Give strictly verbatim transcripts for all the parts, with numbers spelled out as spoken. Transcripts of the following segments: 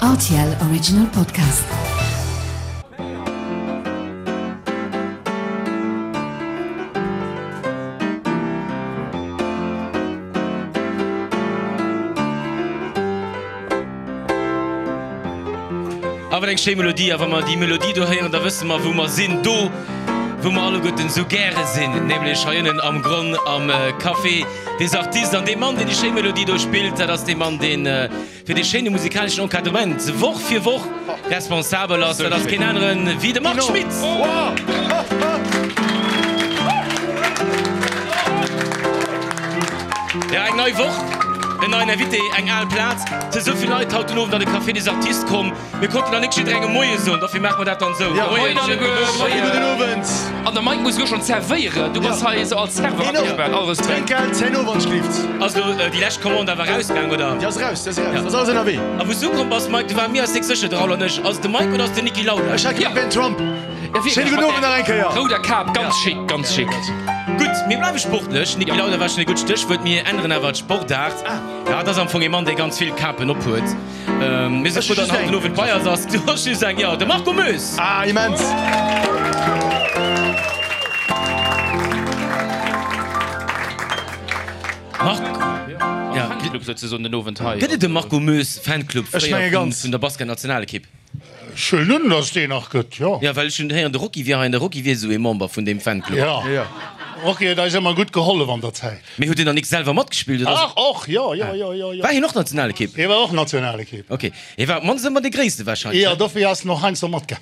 R T L Original Podcast. A wat eng schéi Melodie! A wa mer déi Melodie do héieren, da wësse mer, wou mer sinn. Do, wou mer alleguerten esou gäre sinn, nämlech hei ënnen am Gronn am Café des Artistes. An dee Mann, deen déi schéi Melodie do spillt, dat ass dee Mann, dee fir dee schéine musikaleschen Encadrement Woch fir Woch responsabel ass. Dat ass keen aneren wéi de Marc Schmitz. Jo, eng nei Woch, en neien Invité, eng al Plaz. Et si sou vill Leit haut den Owend an de Café des Artistes komm. Mir konnten nach nik jidderengem Moie soen, dofir maache mer dat dann esou. Ja, moien alleguer, moien. Gudden Owend. An de Mike muss elo schonn zerwéieren. Du bass hei esou als Serveur agespaant. All Respekt. Drénkgeld herno, wann et schlift. Ass elo déi lescht Commande awer erausgaang, oder? Déi ass eraus, déi ass eraus. Ass alles ënnerwee. A wou s du komm bass, Mike, du war mir eis nik sécher, de Raoul an ech. Ass et de Mike oder ass et den Niki Lauda? Ech hat gemengt, et wär den Trump. Schéine gudden Owend nach eng Kéier. Rouder Kap, ganz schick, ganz schick. Gutt, mir bleiwe sportlech. Niki Lauda war schonn e gutt Stéchwuert. Mir änneren awer d'Sportaart. Ja, et ass am Fong ee Mann, dee ganz vill Kapen ophuet. Mir si frou, datt en haut den Owend bei eis ass. Du hues just eng, jo, de Marco Moes. Ah, immens! Marc, ja. Fanclub souzesoen den Owend hei. Gëtt et e Marco Moes Fanclub Ech fréier menge ganz. vun der Basketnationalekipp? Ech huelen un, datt et deen nach gëtt, jo. Jo, well ech hunn héieren, de Rocky wier hei an de Rocky wier esou ee Member vun deem Fanclub. Jo, Rocky huet eis ëmmer gutt gehollef an der Zäit. Mee huet en dann nik selwer matgespillt, oder? Ach, och, jo, jo, jo, jo, jo. War hien och Nationalekipp? Hie war och Nationalekipp. Ok, hie war op d'mannst ëmmer dee Gréisste wahrscheinlech, Jo, ne? dofir ass en och heiansdo matgaangen.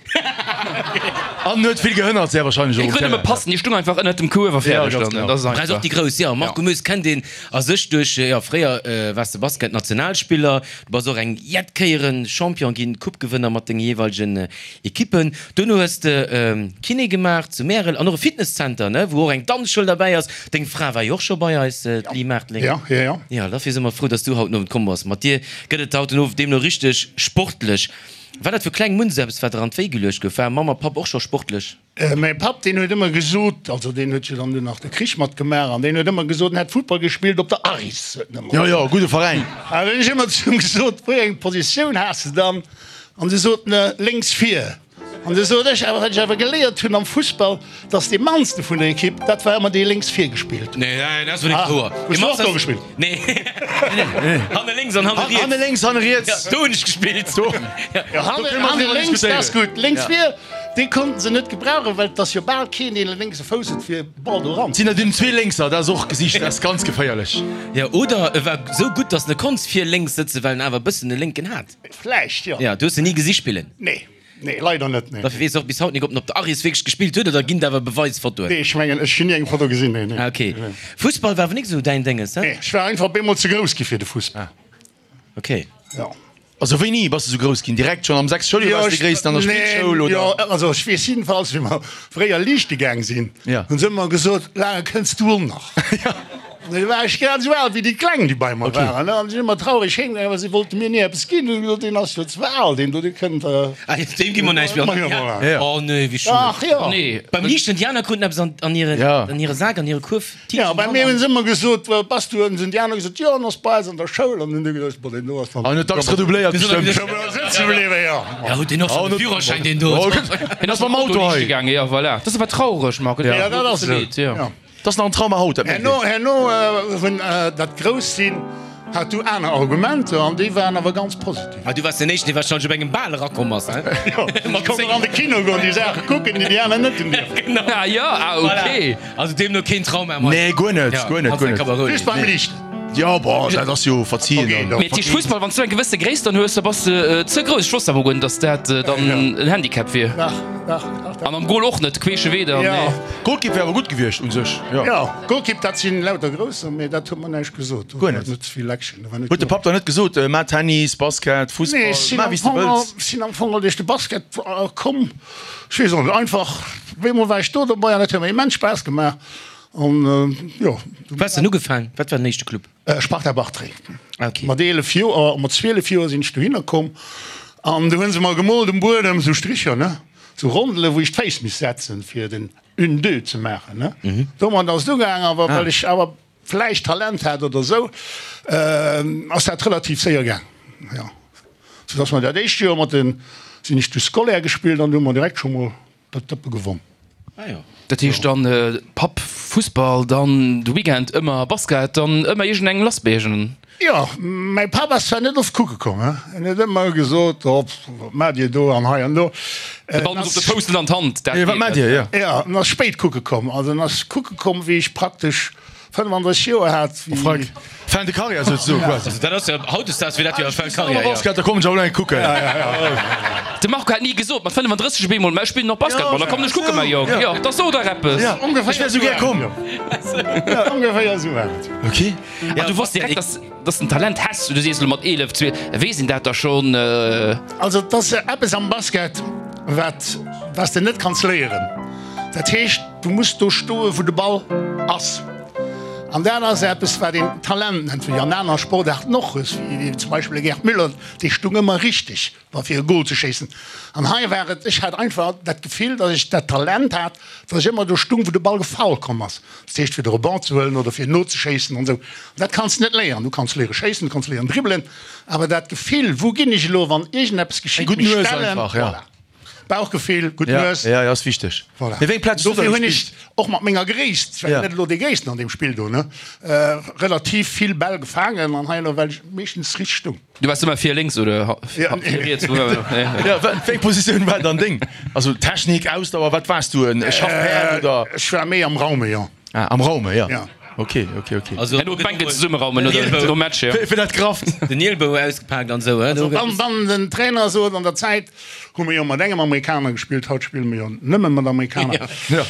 An huet vill gehënnert, sehr wahrscheinlech och Hie um krut nëmme Terrain. passen, hie stung einfach ënnert dem Kuerf a Ja, fäerdeg ganz dann. genau. Dat ass Brauchs och einfach. déi Grouss, jo. Marco Moes kennt een a sech duerch, jo, fréier waars de Basket-Nationalspiller, du bass och eng jett Kéieren Champion ginn, Coupe-Gewënner mat denge jeeweilegen Ekippen. Duerno hues de Kiné gemaach zu Märel an och e Fitnesszenter, ne, wou och eng Danzschoul derbäi ass. Deng Fra war jo och scho bei eis, d'Li Maartling. Ja, ja, ja. Jo, dofir si mer frou, dass du haut den Owend komm bass. Mat dir gëtt et haut den Owend deemno richteg sportlech. War dat vu klengem un esou eppes, wat der an d'Wéi geluecht gouf? War Mamm a Papp och scho sportlech? Mäi Papp, deen huet ëmmer gesot, also deen huet jo dann dunn nach de Krich matgemaach, an deen huet ëmmer gesot, en hätt Futtball gespillt op der Aris, huet en ëmmer Jo, gesot. jo, gudde Veräin. An dann hunn ech ëmmer zu him gesot, wéi eng Positioun has de dann? An du sot en, lénks vir. An du sot ech awer, wat ech awer geléiert hunn am Fussball, dass dee mannste vun der Ekipp, dat war ëmmer dee lénks vir gespillt huet. Nee, nee, dat ass wuel net wouer. Hues du och do gespillt? Nee. Hanne lénks an hanne riets. Hanne lénks, hanne riets. Do hunn ech gespillt. Do. Jo, hanne, hanne lénks, dat ass gutt. Lénks vir, dee konnten se net gebrauchen, well et ass jo bal keen, deen e lénkse Fouss huet, fir Ball do eran. Sinn der dunn zwee Lénkser, dat ass och gesicht, dat ass ganz geféierlech. Jo, oder e war sou gutt, dass en e konnt vir lénks sëtzen, well en awer e bëssen e Lénken hat. Vläicht, jo. Jo, du hues en ni gesi spillen? Nee. Nee, leider net, nee. Dofir weess och bis haut nik, ob en op der Aris wierklech gespillt huet, oder ginn et awer Beweisfotoen? Nee, ech mengen, ech hunn ni eng Foto gesinn, nee, nee. Ah, ok. Fussball war awer nik esou däin Dénges, he? Nee, ech war einfach op eemol ze grouss gi fir de Fussball. Ok. Jo. Also wéini bass de sou grouss ginn? Direkt schonn am sechste Schouljoer waars de dee Gréissten an der Spillschoul, oder? Jo, also ech weess jiddefalls, wéi mer fréier liichte gaang sinn, hunn se ëmmer gesot, Laange kënns du och nach. An du war ech grad esou al wéi déi Kleng, déi bei mer waren. An si sinn ëmmer traureg heemgaangen, well si wollte mir ni eppes ginn. Hunn gesot, deen ass jo ze al, deen do, dee kënnt. Ah, deem gi mer näischt méi. Ja. Oh nee, wéi schued. Ach jo. Nee. Beim Liichten, déi aner kruten eppes an, an hire, an hire Sak, an hire Kuerf. Ja, bei mir hunn se ëmmer gesot, Bass du? Hunn déi aner gesot, jo, en ass bei eis an der Schoul. An hunn déi gesot, Bon, deen do ass dann. An huet dacks redoubléiert bestëmmt. Sëtze bliwwen, jo. Ja, huet deen och schonn de Führerschäin, deen do. Hien ass mam Auto hei. Gaangen, jo, voilà. Dat ass awer traureg, Marc. Ja, dat ass et. Jo. Dat ass nach en Trauma haut, dat mierkt Herno, een. herno hunn dat Grousst-Sinn hat du aner Argumenter an déi waren awer ganz positiv. Ah, du waars den éischten, dee warscheinlech op engem Bal erakomm ass, he? Jo, ech konnt och an de Kino goen, déi Saache kucken, déi déi aner net hunn dierfen. Genau. Ah jo, ah ok. Also deemno keen Trauma méi. Nee, guer net, guer net, guer net. Just beim Liichten. Jo, bon, dat ass jo verzien dann. Mee dat heescht Fussball, wann s du eng gewësse Gréisst dann hues, da bass de ze grouss. Ech wosst awer guer net, dass dat dann en Handicap wier. Dach, dach, dach, dach. An am Goal och net, queesche Wee dann, nee. Golkipp wär awer gutt gewiescht un sech, jo. Jo, Golkipp, dat sinn lauter Grousser, mee dat huet mer näischt gesot. Do Guer war net. net vill Action, do war net Huet de genuch. Papp dann net gesot, Maach Tennis, Basket, Nee, Fussball, ech sinn maach am wéi s de Fong, wëlls. ech sinn am Fong duerch de Basket komm. Ech weess och net, einfach, op eemol war ech do dobei an dat huet mer immens Spaass gemaach. An jo. Wou has de ugefaang? Wat war den éischte Club? Sparta Bartreng. Ah, okay. Mat eelef Joer, mat zwielef Joer sinn ech dohinner komm an du hunn se mer gemoolt um Buedem, sou Stricher, ne, sou Rondele wou ech d'Féiss misst setzen fir den une deux ze maachen, ne. Domat ass et ugaang, awer well ech awer vläicht Talent hat oder sou, ass dat relativ séier gaang, jo. Soudass mer dat éischt Joer mat den, sinn ech du Scolaire gespillt an du hu mer direkt scho mol dat Dëppe gewonn. Ah jo. Dat heescht dann Papp Fussball, dann de Weekend ëmmer Basket, dann ëmmer iergendeng lass bei iergendengem. Jo, mäi Papp ass zwar net oft kucke komm, he, en huet ëmmer gesot, oh, wat maacht Dir do an hei an do. De Ball muss op de Fouss, net an d'Hand, dat Jo, wat geet maacht net. Dir, jo. Jo, en ass spéit kucke komm, also en ass kucke komm, wéi ech praktesch fënnefandrësseg Joer hat, wéi. Frank, Fin de carrière souzesoen quasi. Also dat ass jo, hautdesdaags wier dat jo fin de carrière, jo. Basket, da kommen ech awer elo eng kucken. De Marco hat ni gesot, mat fënnefandrësseg op eemol, mä ech spillen och Basketball, da kommen ech kucken, mäi Jong. Jo, da so dach eppes. Ja, ech wär esou gär komm. Ja, ongeféier esou war et. Ok. An du wosst direkt, dass, dass de en Talent häss, du sees elo mat eelef, zwielef, weess een dat da schonn? Also et ass eppes am Basket, wat, wat s de net kanns léieren. Dat heescht, du muss do stoen, wou de Ball ass. An dat ass eppes, wat een Talent nennt, wéi an aner Sportaarten och hues, wéi zum Beispill de Gerd Müller, dee stung ëmmer richteg, wa fir e Gol ze schéissen. An hei war et, ech hat einfach dat Gefill, datt ech dat Talent hat, datt ech ëmmer do stung, wou de Ball gefall komm ass. Dat heescht, fir de Rebond ze huelen oder fir nozeschéissen an esou. An dat kanns de net léieren. Du kanns léiere schéissen, du kanns léieren dribbelen, awer dat Gefill, wou ginn ech elo, wann iergendeppes Eng geschitt, gutt mech Nues stellen, einfach, ja. voilà. Bauchgefill, gutt Ja, Nues. ja, ja, ass wichteg. Voilà. Mee wéi eng Plaz hues du da Dofir hunn gespillt? ech och mat menger Gréisst, ech war Ja. net elo dee Gréissten an deem Spill do, ne, relativ vill Bäll gefaangen an hei elo well ech meeschtens richteg stung. Du waars ëmmer vir lénks oder Ja, vir riets? Wou war Ja, wa- wéi eng Positioun war dann deng? Also Technik, Ausdauer, wat waars du? En Schaffpäerd oder? Ech war méi am Raume, jo. Ah, am Raume, ja. Ja. Ok, ok, ok. Also Herno d'Bänken zesummeraumen oder nom Match, jo. Fir dat Krafft. Den Nielbou ausgepaakt an esou, Also wann, wann den Trainer sot, an der Zäit hu mer jo mat engem Amerikaner gespillt, haut spille mer jo nëmme mat Amerikaner, Ja.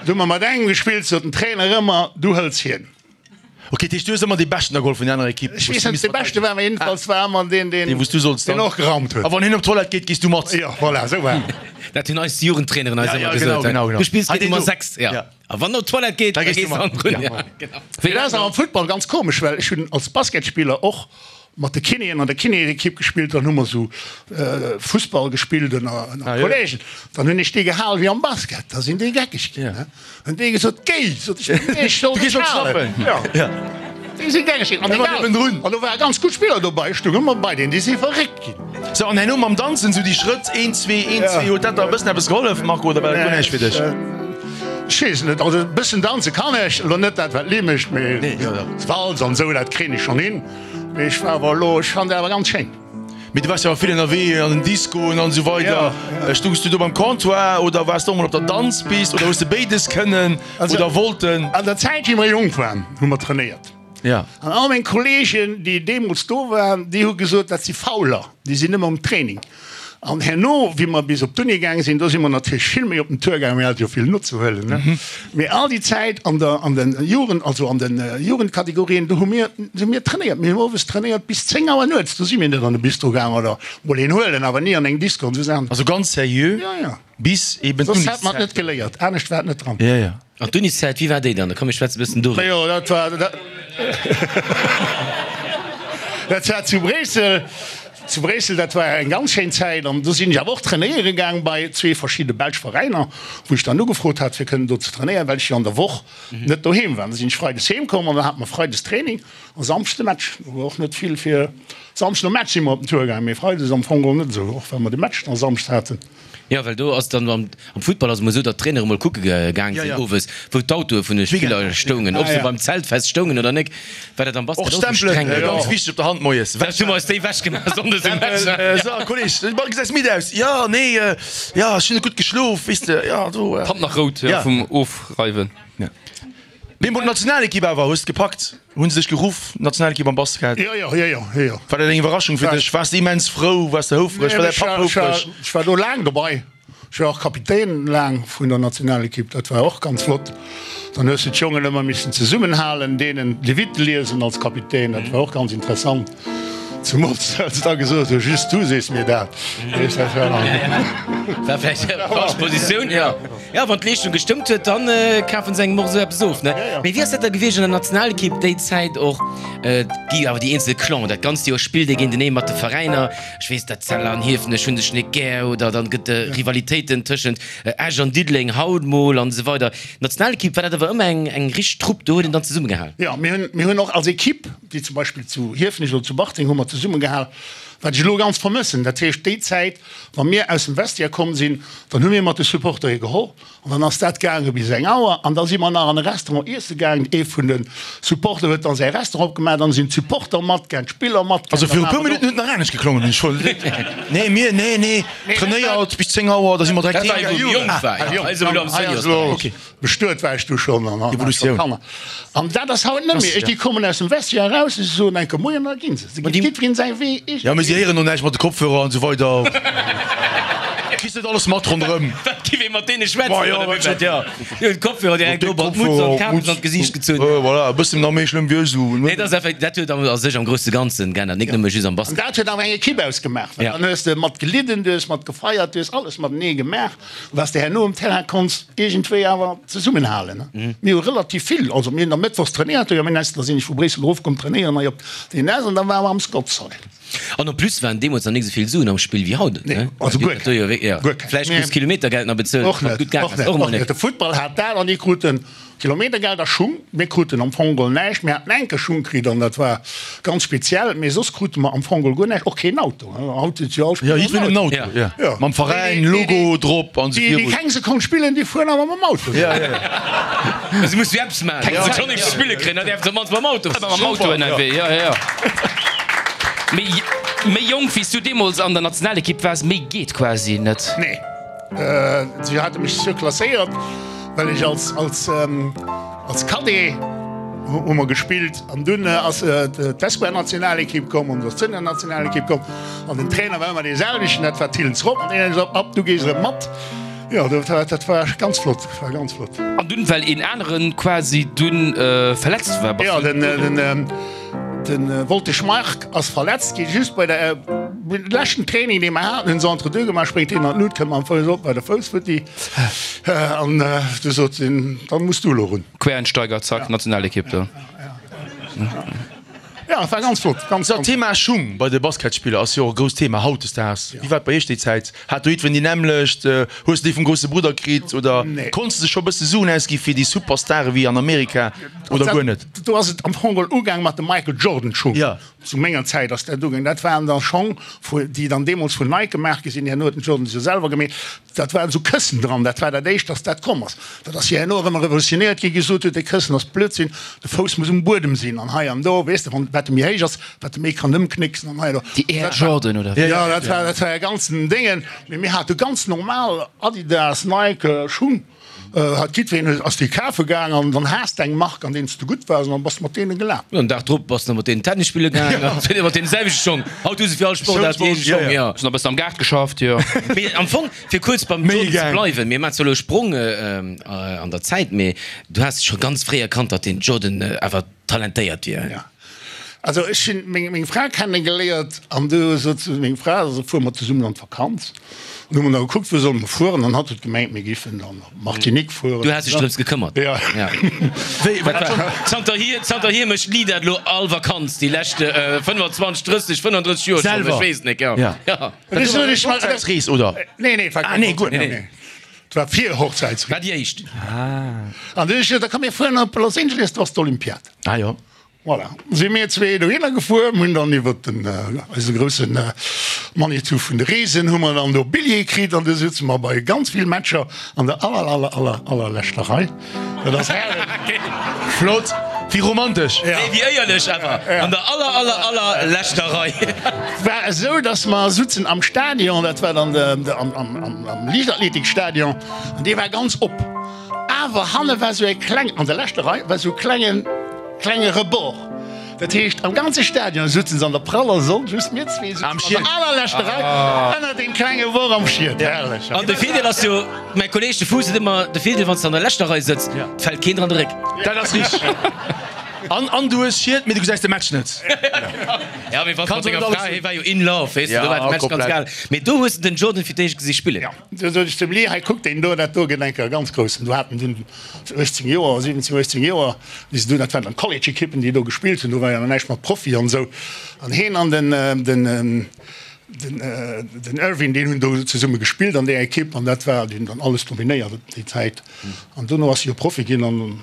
du hu mer mat engem gespillt, sot den Trainer ëmmer, du hëls hien. Ok, dat heescht, du hues ëmmer dee Beschten da geholl vun der anerer Ekipp. Ech weess net, ob dee Beschte war, mä jedenfalls war ëmmer deen, deen, Deen, wou s du solls deen dann. och geraumt huet. A wann hien op d'Toilette geet, gees du mat. Jo, voilà, esou war et. Dat hunn eis Jugendtraineren eis Ja, ëmmer ja, gesot. genau, genau, genau. Du spills Hei, géint deen Nummer do. sechs, ja. Ja. A wann en op d'Toilette geet, Da da gees du gees du mat. hannendrun. Ja. Ja, genau. Dat ass awer am Futtball ganz komesch, well ech hunn als Basketspiller och mat de Kinéen an der Kinéekipp gespillt, dann hu mer esou Fussball gespillt ënner ënner Ah, jo. Kollegen. Dann hunn ech déi gehal wéi am Basket, da sinn déi geckeg ginn, Ja. ne? Hunn déi gesot, Géi, sot ech, nee, ech soll Du gees dech op halen. d'Schlappen. Ja. Ja. Déi si geckeg ginn. An Da war egal. niewendrun. An do ware ganz gutt Spiller dobei, ech stoung ëmmer bei deenen, déi si verréckt ginn. Sou, an herno mam Danzen, sou déi Schrëtt, een, zwee, een, Ja. zwee, huet dat da e bëssen eppes gehollef, Marco, oder war dat guer näischt fir dech? Ech weess net, also e bëssen danze kann ech, elo net dat wat d'Li mécht, mee Nee, jo, jo. d'Walz an esou, dat kréien ech schonn hin. Mee ech war awer elo, ech fannen dat awer ganz schéin. Mee du waars jo awer vill ënnerwee an den Discoen an esou weider. Ja, Stoungs du do beim Comptoir oder waars du och mol op der Danzpist oder hues de béides kënnen Also- oder wollten? An der Zäit wéi mer jonk waren, hu mer trainéiert. Ja. An all meng Kolleegen, déi deemools do waren, déi hu gesot, dat si Fauler, déi sinn nëmme um Training. An herno, wéi mer bis op d'Uni gaange sinn, do si mer natierlech vill méi op den Tour gaangen, mir hate jo vill nozehuelen, ne? Mee all déi Zäit an der, an den Jugend, also an den Jugendkategorien, do hu mir, hu mir trainéiert. Mir hunn owes trainéiert bis zéng Auer nuets. Do si mir net an de Bistro gaangen oder mol een huelen, awer ni an eng Disco an esou Saachen. Also ganz seriö Ja, ja. bis eben Soss hätt mer et d'Uniszäit. net geléiert. Anescht war et net dran. Ja, ja. An d'Uniszäit, wéi war déi dann? Da komm, mir schwätze e bëssen doriwwer. Majo, dat war, dat, dat war zu Bréissel. Zu Bréissel, dat war eng ganz schéin Zäit an do sinn ech awer och trainéiere gaang bei zwee verschidde belsch Veräiner, wou ech dann ugefrot hat, fir kënnen do ze trainéieren, well ech jo an der Woch net doheem war. Da sinn ech freides heem komm an dann hate mer freides Training a samschdes de Match. Do war och net vill fir samschdes nom Match si mer op den Tour gaang, mee freides am Fong geholl net esou, och well mer de Match da samschdes haten. Jo, well do ass dann am Futtball ass et emol esou, datt d'Trainere mol kucke gaang sinn owes, wou d'Autoe vun de Spiller stoungen, ob se beim Zeltfest stoungen oder nek. War dat am Basket Och och esou Stempelen, streng? ganz wichteg op der Hand moies. Vläicht hu mer eis déi wechgemaach sonndes um Match. So, Kolleg, de Ball gesäis midd aus. Jo, nee, jo, ech hunn net gutt geschlof, weess de, jo, do. D'Hand nach rout vum Ofreiwen. Mee mol d'Nationalekipp awer, hues de gepackt? Hunn se dech geruff, d'Nationalekipp am Basket? Jo, jo, jo, jo, jo, jo. War dat eng Iwwerraschung fir dech? Waars de immens frou? Waars de houfreg? War däi Papp houfreg? Ech war do laang dobei. Ech war och Kapitän laang vun der Nationalekipp, dat war och ganz flott. Dann hues de d'Jongen ëmmer missen zesummenhalen, deenen d'Levite liesen als Kapitän, dat war och ganz interessant. Zemools well se da gesot hu, just du sees mir dat. Weess, dat war dann. War vläicht eng falsch Positioun, jo. Jo, wann d'Leeschtung gestëmmt huet, dann kafen se engem och esou eppes of, ne? Mee wéi ass dat da gewiescht an der Nationalekipp déi Zäit och? Et gi awer déi eenzel Clanen, dat ganzt Joer spillt ee géintenee mat de Veräiner. Ech weess, dat Zeller an Hiefenech hu sech net gär oder dann gëtt et Rivalitéiten tëschent Esch an Diddeleng haut mol an esou weider. D'Nationalekipp war dat awer ëmmer eng eng richteg Trupp, do huet een dann zesummegehal. Jo, mir hunn, mir hunn och als Ekipp, déi zum Beispill zu Hiefenech oder zu Bartreng hu mer zesummegehal, Wat ech elo ganz vermëssen. Dat heescht, déi Zäit, wa mir aus dem Vestiaire komm sinn, dann hu mir mat de Supportere geholl an dann ass dat gaange bis eng Auer an da si mer nach an e Restaurant iesse gaangen. Ee vun de Supporter huet dann säi Restaurant opgemaach, dann sinn d'Supporter matgaang, d'Spiller matgaang. Also viru puer Minutten huet et nach anescht geklongen, hunn ech voll. Nee, mir, nee, nee, trainéiert bis zéng Auer, da si mer direkt Dat war heem. wou jonk war, jo. Hei si mer elo am Seniors-Beräich. Bestuet war ech du schonn an hat scho Kanner. An dat ass haut net méi. Ech, déi kommen aus dem Vestiaire eraus, si soen enke Moien an da gi se. Se geet jiddwereen säi Wee. Jo, mee si héieren och näischt mat de Kopfhörer an esou weider. Kriss net alles mat ronderëm. Wat giff ee mat deene schwätzen oder wéi wat? Jo, déi hunn d'Kopfhörer direkt do op d'Mutz an d'Kapes an d'Gesiicht gezunn. Voilà, e bëssen nach méi schlëmm wéi ech esou. Nee, dat ass effekt, dat huet a sech am grousse Ganzen geännert, nik nëmme just am An Basket. dat huet awer eng Ekipp ausgemaach, well dann hues de mat gelidden, du hues mat gefeiert, du hues alles matenee gemaach. Was de herno um Terrain konns iergendwéi awer zesummenhalen. Mir hu relativ vill, also mir hunn da mëttwochs trainéiert, jo, mir da sinn ech vu Bréissel erofkomm trainéieren hei op den S an da ware mer am Scott's Hall. An en plus waren deemools nach nik esou vill Suen am Spill wéi haut, Nee, ne? also guer keng, guer keng. Vläicht krus Kilometergeld nach bezuelt, Och wann net, et gutt gaangen och ass, net, och och emol net. net. De Futtball hat dat an déi kruten Kilometergeld a Schung. Mir kruten am Fong geholl näischt. Mir haten enke Schung kritt an dat war ganz speziell, mee soss krute mer am Fong geholl guer näischt, och keen Auto. Haut huet jo all Jo, Spiller en jiddwereen en Auto. Auto, jo. Jo. Mam Veräin, Logo drop an esou Déi, déi virun. keng Sekonn spillen, déi fueren awer mam Auto. Ja, ja, ja. Se muss jo eppes maachen, wa se schonn nichts ze spille kréien, da däerfe se op d'mannst mam Auto Ëmmer mam Auto ënnerwee, jo, jo, jo. Méi, méi jonk wéi s du deemools an der Nationalekipp waars, méi geet quasi net. Nee, si hate mech surklasséiert, well ech als, als, als Cadet hu mer gespillt an dunn ass d'Espoir-Nationalekipp komm an d'Senior-Nationalekipp komm an den Trainer war ëmmer dee selwechten, dat war Thillens Rob an deen huet gesot, Ab, du gees erëm mat. Jo, dat war, dat war ganz flott, dat war ganz flott. An dunn, well een aneren quasi dunn verletzt war, bass Jo, du. den, den, De Woltesch Marc ass verletzt ginn, just bei der leschten Training dee mer haten, hunn se entre deux gemaach, spréngt hien an d'Lut, kënnt mam Fouss op bei de Fouss futti an du sot hien, dann muss du elo run. Quereinsteiger, zack, Nationalekipp do. Ja, et war ganz flott, ganz, So, ganz. Thema Schung bei de Basketspiller ass jo och e grousst Thema hautdesdaags. Wéi war et bei iech déi Zäit? Hat do jiddwereen déi nämmlecht? Hues de déi vum grousse Brudder kritt oder konns de scho bësse Suen ausgi fir déi Superstare wéi an Amerika oder guer net? Do ass et am Fong geholl ugaang mat de Michael Jordan Schung. Zu menger Zäit ass dat ugaang. Dat waren da Schong, déi dann deemools vun Nike gemaach gi sinn. Herno huet den Jordan se jo selwer gemeet. Dat waren esou Këssen dran. Dat war dat éischt, dass dat komm ass. Dat ass jo herno erëm revolutionéiert ginn, gesot huet, dee Këssen ass Blödsinn, de Fouss muss um Buedem sinn an hei an do, weess de, wann wat e méi héich ass, wat e méi kann ëmknécksen an hei an do. Déi Air Jordan oder wéi? Jo, dat war, dat war e ganzen Déngen. Mee mir hate ganz normal Adidas, Nike Schung. Hat jiddwereen ass déi kafe gaang an dann has de eng Mark, an deenen s de gutt waars an dann bass de mat deene gelaf. An den Dag drop bass de mat deenen Tennis spille gaang an mat deenen selwechte Schong. Haut hu se fir all Sportaart déi eege Schong, jo. Hunn e bëssen am Gaart geschafft, jo. Mee am Fong, fir kuerz beim Jordan ze bleiwen, mir maachen zwar elo e Sprong an der Zäit, mee du has scho ganz fréi erkannt, datt den Jordan awer talentéiert wier. Jo. Also ech hunn meng meng Fra kennegeléiert an du sot zu meng Fra, also fuere mer zesummen an d'Vakanz. An hu mer da gekuckt, wou solle mer fueren an hatt huet gemengt, mir giffen dann op Martinique fueren. Du has dech drëms gekëmmert? Ja. Wéi, wat war? Zanterhier, zanterhier mécht d'Li dat elo all Vakanz, déi lescht fënnwanzwanzeg, drësseg, fënnandrësseg Joer schonn, ech weess net, jo. Ja. Ja. Dat ass ech mal. Hochzäitsrees, oder? Nee, nee, et war Ah, keng nee, guer net. Hochzäitsrees. Et war fir Hochzäitsrees. War déi éischt. An du hu ech gesot, da komm mir fueren op Los Angeles, do ass d'Olympiad. Ah jo. Voilà, si mir zwee dohinner gefuer, hunn dann iwwer den eise groussen Manitou vun de Reesen hu mer dann do Billjeeë kritt an du sutze mer bei ganz vill Matcher an der aller aller aller allerleschter Rei. Dat ass herrlech. Flott, wéi romantesch. Nee, wéi éierlech awer, an der aller aller aller leschter Rei. War esou, dass mer sutzen am Stadion, dat war dann de am am am Liichtathletikstadion an dee war ganz op, awer hanne war sou e kleng, an der leschter Rei war sou e klengen, Klenge Rebord. Dat heescht, am ganze Stadion sutzen se an der praller Sonn, just mir zwee sutzen an der allerleschter Rei ënnert deem klenge Bord am Schied. Herrlech! An de Virdeel ass jo, mäi Kolleeg de Fuuss seet ëmmer, de Virdeel wann s de an der leschter Rei sëtz, et fält keen dran de Réck. Dat ass richteg. An an du hues Schied, mee du gesäis de Match net. Ja, mee wann s mat denger Fra, hie war jo in love, weess de, do war de Match ganz egal. Mee do hues de den Jordan fir d'éischt gesi spillen. Jo, du sot ech zum Lee, hei kuck deen do, dat do gëtt eng Kéier e ganz groussen. Do haten dunn uechtzéng Joer, siwwenzéng, uechtzéng Joer, déi se do, dat waren dann College-Ekippen, déi do gespillt hunn, do war jo nach näischt mat Profi an esou. An heen an den, den, den, den Irving, deen hunn do zesumme gespillt an där Ekipp an dat war, déi hunn dann alles dominéiert déi Zäit. An dono ass e jo Profi ginn an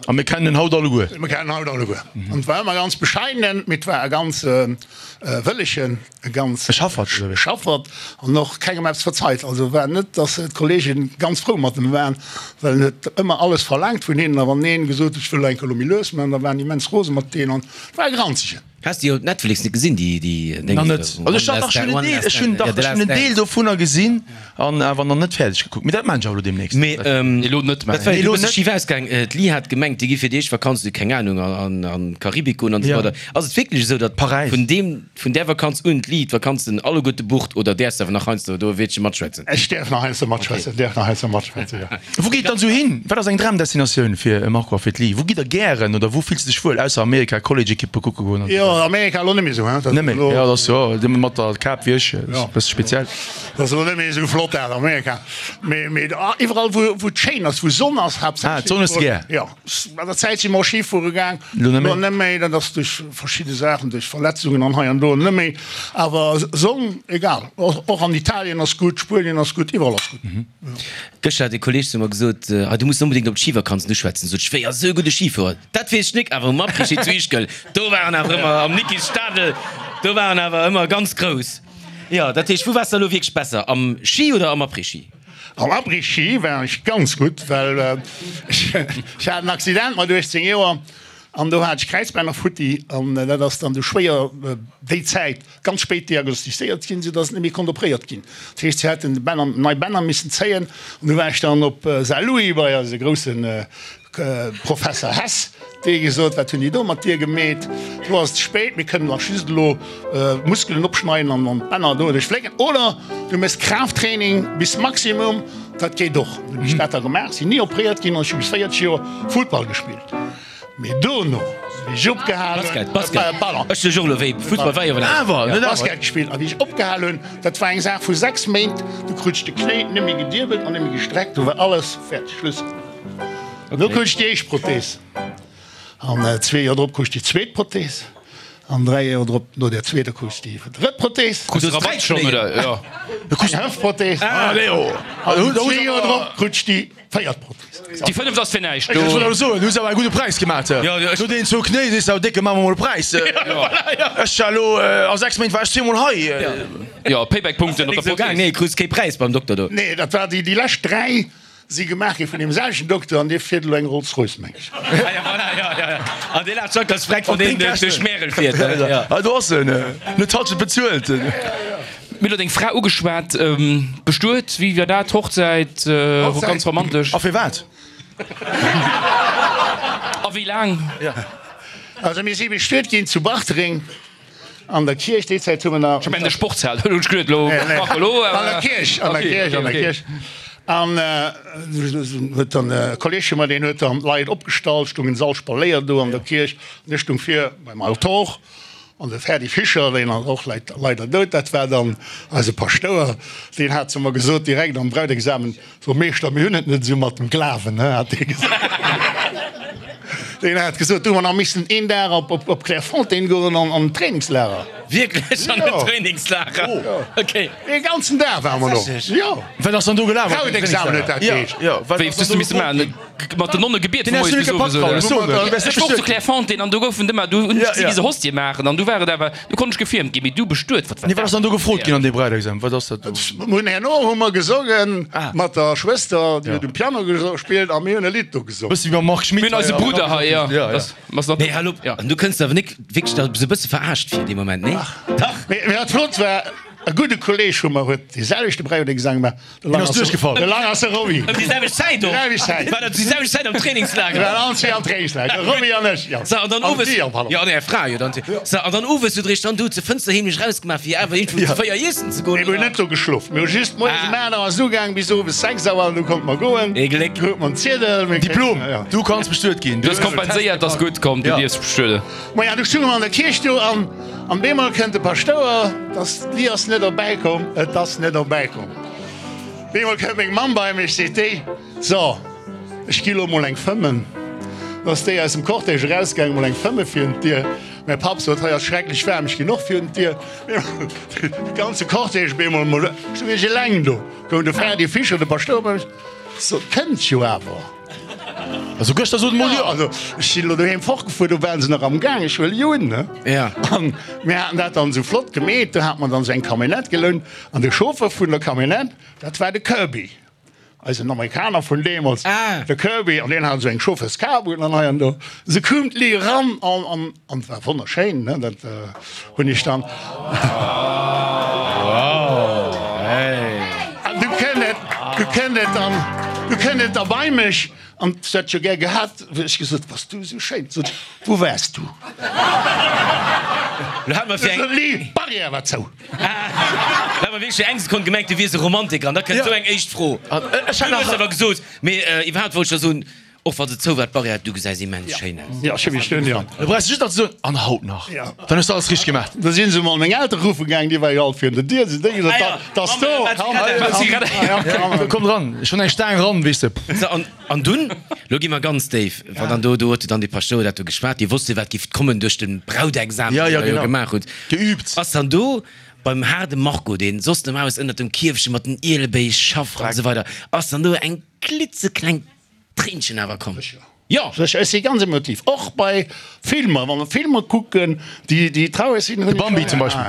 A mir kennen en haut alleguer. Mir kennen en haut alleguer. An et war ëmmer ganz bescheidenen, mee et war e ganz wëllegen, e ganz. E Schaffert, oder wéi? Schaffert an och kengem eppes verzeit. Also war net, datt d'Kollegen ganz frou mat em waren, well en huet ëmmer alles verlaangt vun hinnen. A wann een gesot huet, ech wëll eng Kéier elo méi lues maachen, da waren déi immens rose mat deenen an et war e Granzegen. Has de jo op Netflix net gesinn déi déi Nach net. Also ech dach ech hunn en Deel ech hunn dach ech hunn en Deel dovunner gesinn an awer nach net fäerdeg gekuckt. Mee dat maan ech awer elo deemnächst. Mee Elo net dat war jo Elo e bësse net. schif ausgaang. D'Li hat gemengt déi gi fir déi éischt Vakanz, keng Ahnung, an an d'Karibik goen an esou Ja. weider. Ass et wierklech esou, datt Paräis. vun deem vun där Vakanz un d'Li d'Vakanzen alleguerte bucht oder däerfs de awer nach heiansdo do e Wiertche matschwätzen? Ech däerf nach heiansdo matschwätzen, däerf nach heiansdo matschwätzen, jo. Wou geet et dann esou hin? Wat ass eng Dramdestinatioun fir e Marco a fir d'Li? Wou gitt der gären oder wou fills de dech wuel, ausser Amerika, College-Ekippe kucke goen an esou Jo, Amerika elo net méi esou, hein? Net méi, jo, dat ass jo dee mat der Kap wéi ech, ass e bësse speziell. Dat ass elo net méi esou flott dat Amerika, mee mee iwwerall wou wou et schéin ass, wou Sonn ass Ah, d'Sonn hues de gär? Jo, an der Zäit si mer och Schi fuere gaang, Elo net méi? elo net méi, dat ass duerch verschidde Saachen, duerch Verletzungen an hei an do net méi, awer Sonn, egal, och an Italien ass gutt, Spuenien ass gutt, iwwerall ass gutt. Gëschter hat e Kolleg zu mer gesot, ah, du muss onbedéngt op d'Schivakanzen uschwätzen. Sot ech, wéi, ass esou e gudde Schifuerer? Dat weess ech nik, awer um Après-Ski zu Ischgl, do war en awer ëmmer, am Nikis Stadel, do war en awer ëmmer ganz grouss. Jo, dat heescht, wou waars de elo wierklech besser, am Schi oder am Après-Ski? Am Après-Ski war ech ganz gutt, well ech hat en Accident mat uechtzéng Joer an do hat ech Kräizbänner futti an dat ass dann du schwéier déi Zäit ganz spéit diagnostizéiert ginn, soudass et net méi konnt opréiert ginn. Dat heescht, si hätten Bänner, nei Bänner missen zéien an du war ech dann op Saarlouis bei eise grousse Professer Hess, dee gesot, wat hunn déi do mat dir gemeet, elo ass et ze spéit, mir kënnen nach just elo d'Muskelen opschneiden an d'Bänner doduerch flécken oder du méchs Kraafttraining bis Maximum, dat geet och. Dunn hunn ech dat da gemaach, sinn ni opréiert ginn an ech hu bis véierzeg Joer Futtball gespillt. Mee dono, wéi ech opgehal hunn, Basket, Basket. Pardon. Ech sech och elo wéi, Fussball war jo awer nach. Awer, net awer. Basket gespillt. A wéi ech opgehal hunn, dat war eng Saach vu sechs Méint, du krut ech de Knéi net méi gediebelt an net méi gestreckt, do war alles fäerdeg, Schluss. An do krut ech déi éischt Prothees. An zwee Joer drop krut ech déi zweet Prothees. An dräi Joer drop, no där zweeter, krut ech déi drëtt Prothees. Krus du Rabatt schonn, oder? Jo. Eng Hëftprothees. An zwee Joer drop krut ech déi Véiert Prothes. Déi fënneft ass fir näischt Ech do. wollt awer soen, du hues awer e gudde Präis gemaat. No deenen zwou Knéi sees de awer décke, maache mer mol e Präis. Ech war elo a sechs Méint war ech zweemol hei. Jo, Payback-Punkten op der Prothes. Nee, krus kee Präis beim Dokter do. Nee, dat war déi, déi lescht dräi si gemaach gi vun deem selwechten Dokter an dee fiert elo eng Rolls-Royce, meng ech. Ah ja, voilà, ja, ja, ja. An dee laacht schon ganz freck, wann deen duerch Märel fiert. Ah, do ass en. Net d'Halschent bezuelt. Mir elo deng Fra ugeschwat, bestuet, wéi war dat, Hochzäit, ganz romantesch. A firwat? A wéi laang? Also mir si bestuet ginn zu Bartreng an der Kierch, déi Zäit hu mer nach. Ech mengen de Sportshal, hunn ech geduet elo, Marco elo. An der Kierch, an der Kierch, an der Kierch. An huet dann e Kolleg vu mer, deen huet dann d'Leit opgestallt, stoungen se all spaléiert do an der Kierch an ech stung vir beim Altor. An de Ferdy Fischer, deen ass och leider dout, dat war dann eise Paschtouer, deen hat zu mer gesot, direkt am Brautexamen, So Meeschter, mir hunn et net esou mat dem Glawen, he, hat dee gesot. Deen hat gesot, do hu mer nach missen een Dag op Clairefontaine goen an en Trainingslager. Wierklech an en Trainingslager? Ok. Ee ganzen Dag ware mer do. Jo. Wat ass dann do gelaf? Brautexamen huet dat geheescht. Wéi hues du misse maachen? Mat den Nonne gebiet vun moies bis owes, oder? Ech wor zu Clairefontaine an do goufen ëmmer, do hunn ech gesi wéi se Hostie maachen an du war et awer, du konnt ech gefiermt ginn, mee du bestuet, wat war Nee, wat dat? ass dann do gefrot ginn an deem Brautexamen? Wat ass dat do? Mir hunn herno hu mer gesongen mat der Schwëster, déi huet um Piano gespillt a mir hunn e Lidd do gesongen. Bëssi wéi mam Marc Schmitt Mir hunn hei. eise Brudder hei, jo. Ja, ja. Nee, hal op, an du kënns awer nik wierklech da sou e bësse verarscht vir dee Moment, nee? Dach! Mee wat flott war, E gudde Kolleg vu mer huet dee selwechte Bräiwedeggesang gemaach. De Deen ass duerchgefall. De Lang ass de Roby. Ëm déi selwecht Zäit och. Déi selwecht Zäit. War dat déi selwecht Zäit am Trainingslager? Mir waren allen zwee am Trainingslager, de Roby an ech, jo. So, an dann owes. An si, pardon. Jo, an är Fra, jo, dann. So, an dann owes hutt der iech dann do zur Fënster heemlech erausgemaach, fir awer iergendwou zu véier iessen ze goen, Nee, mir hunn oder? net do geschlof. Mir hu just moies um aacht Auer ass ugaang bis owes sechs Auer an du konnte mer goen. Ee Gléck. Krute mer en Ziedel. Mir Diplom, kréien, jo. du kanns bestuet ginn. Du hues kompenséiert, ass gutt, komm, du dierfs bestueden. Maja, du stounge mer an der Kierch do an an bemol kënnt de Paschtouer, dass d'Li ass net erbäi komm, et ass net erbäi komm. Bemol kënnt meng Mamm bei mech, seet déi, so, ech gi lo mol eng fëmmen. Du ass déi aus dem Cortège erausgaangen, mol eng fëmme virun d'Dier. Mäi Papp sot, hei ass schrecklech waarm, ech ginn och virun d'Dier. De ganze Cortège bemol mol, stoung ech eleng do, koum de Ferdi Fischer, de Paschtouer, bei mech, sot, kënnt jo awer. Also gëschter sot emol jo. Also ech sinn elo doheem fortgefuer, do waren se nach am Gaang, ech huele jo un, ne? Ja. An mir haten dat dann esou flott gemeet, do hat mer dann esou eng Camionnette gelount an de Chauffeur vun der Camionnette, dat war de Kirby, eisen Amerikaner vun deemools, de Kirby, an deen hat esou eng Chauffeurskap un an hei an do. Se koum d'Lee eran an, an, an et war wonnerschéin, ne? Dat hunn ech dann. An du kënnt et, du kënnt et dann, du kënnt et da bei mech an se huet jo gär gehat, hu ech gesot, Bass du esou schéin? Sot se, Wou waars du? Lo hat mer fir eng. Sot Lee, d'Barrière war zou. Lo hat mer wierklech fir eng Sekonn gemengt, du wiers e Romantiker an da kënnt esou eng éischt Fro. Ech hat Du hues nach. awer gesot, mee iwwerhaapt wollt ech der soen, Och wa se zou war, d'Barrière, du gesäis immens schéin aus. Jo, ech hu mech dunn, jo. Da brauchs de just nach ze soen, an haut nach. Jo. Dann hues de alles richteg gemaach. Da si se mol meng Eltere ruffe gaangen, déi war jo alt virun der Dier. Si hunn gesot, Ah da, jo, dass do, Mamm, komm, wat komm, komm. Komm dran, ech hunn eng Staang ran, weess de. So, an, an dunn, lo gi mer ganz déif, wann dann do, do huet dann dee Paschtouer dat do geschwat, dee wosst jo, wat giff kommen duerch de Brautexamen, Ja, deen ja, der jo genau. gemaach hutt. Geübt. Ass dann do beim haarde Marco, deen soss normalerweis ënnert dem Kierfche mat den Ielebéi schafft an esou weider, ass dann do eng klitzeklengt Tréinchen awer komm. Jo. Sécher, ech si ganz emotiv, och bei Filmer, wa mer Filmer kucken, déi déi traureg sinn, hunn De Bambi zum Beispill.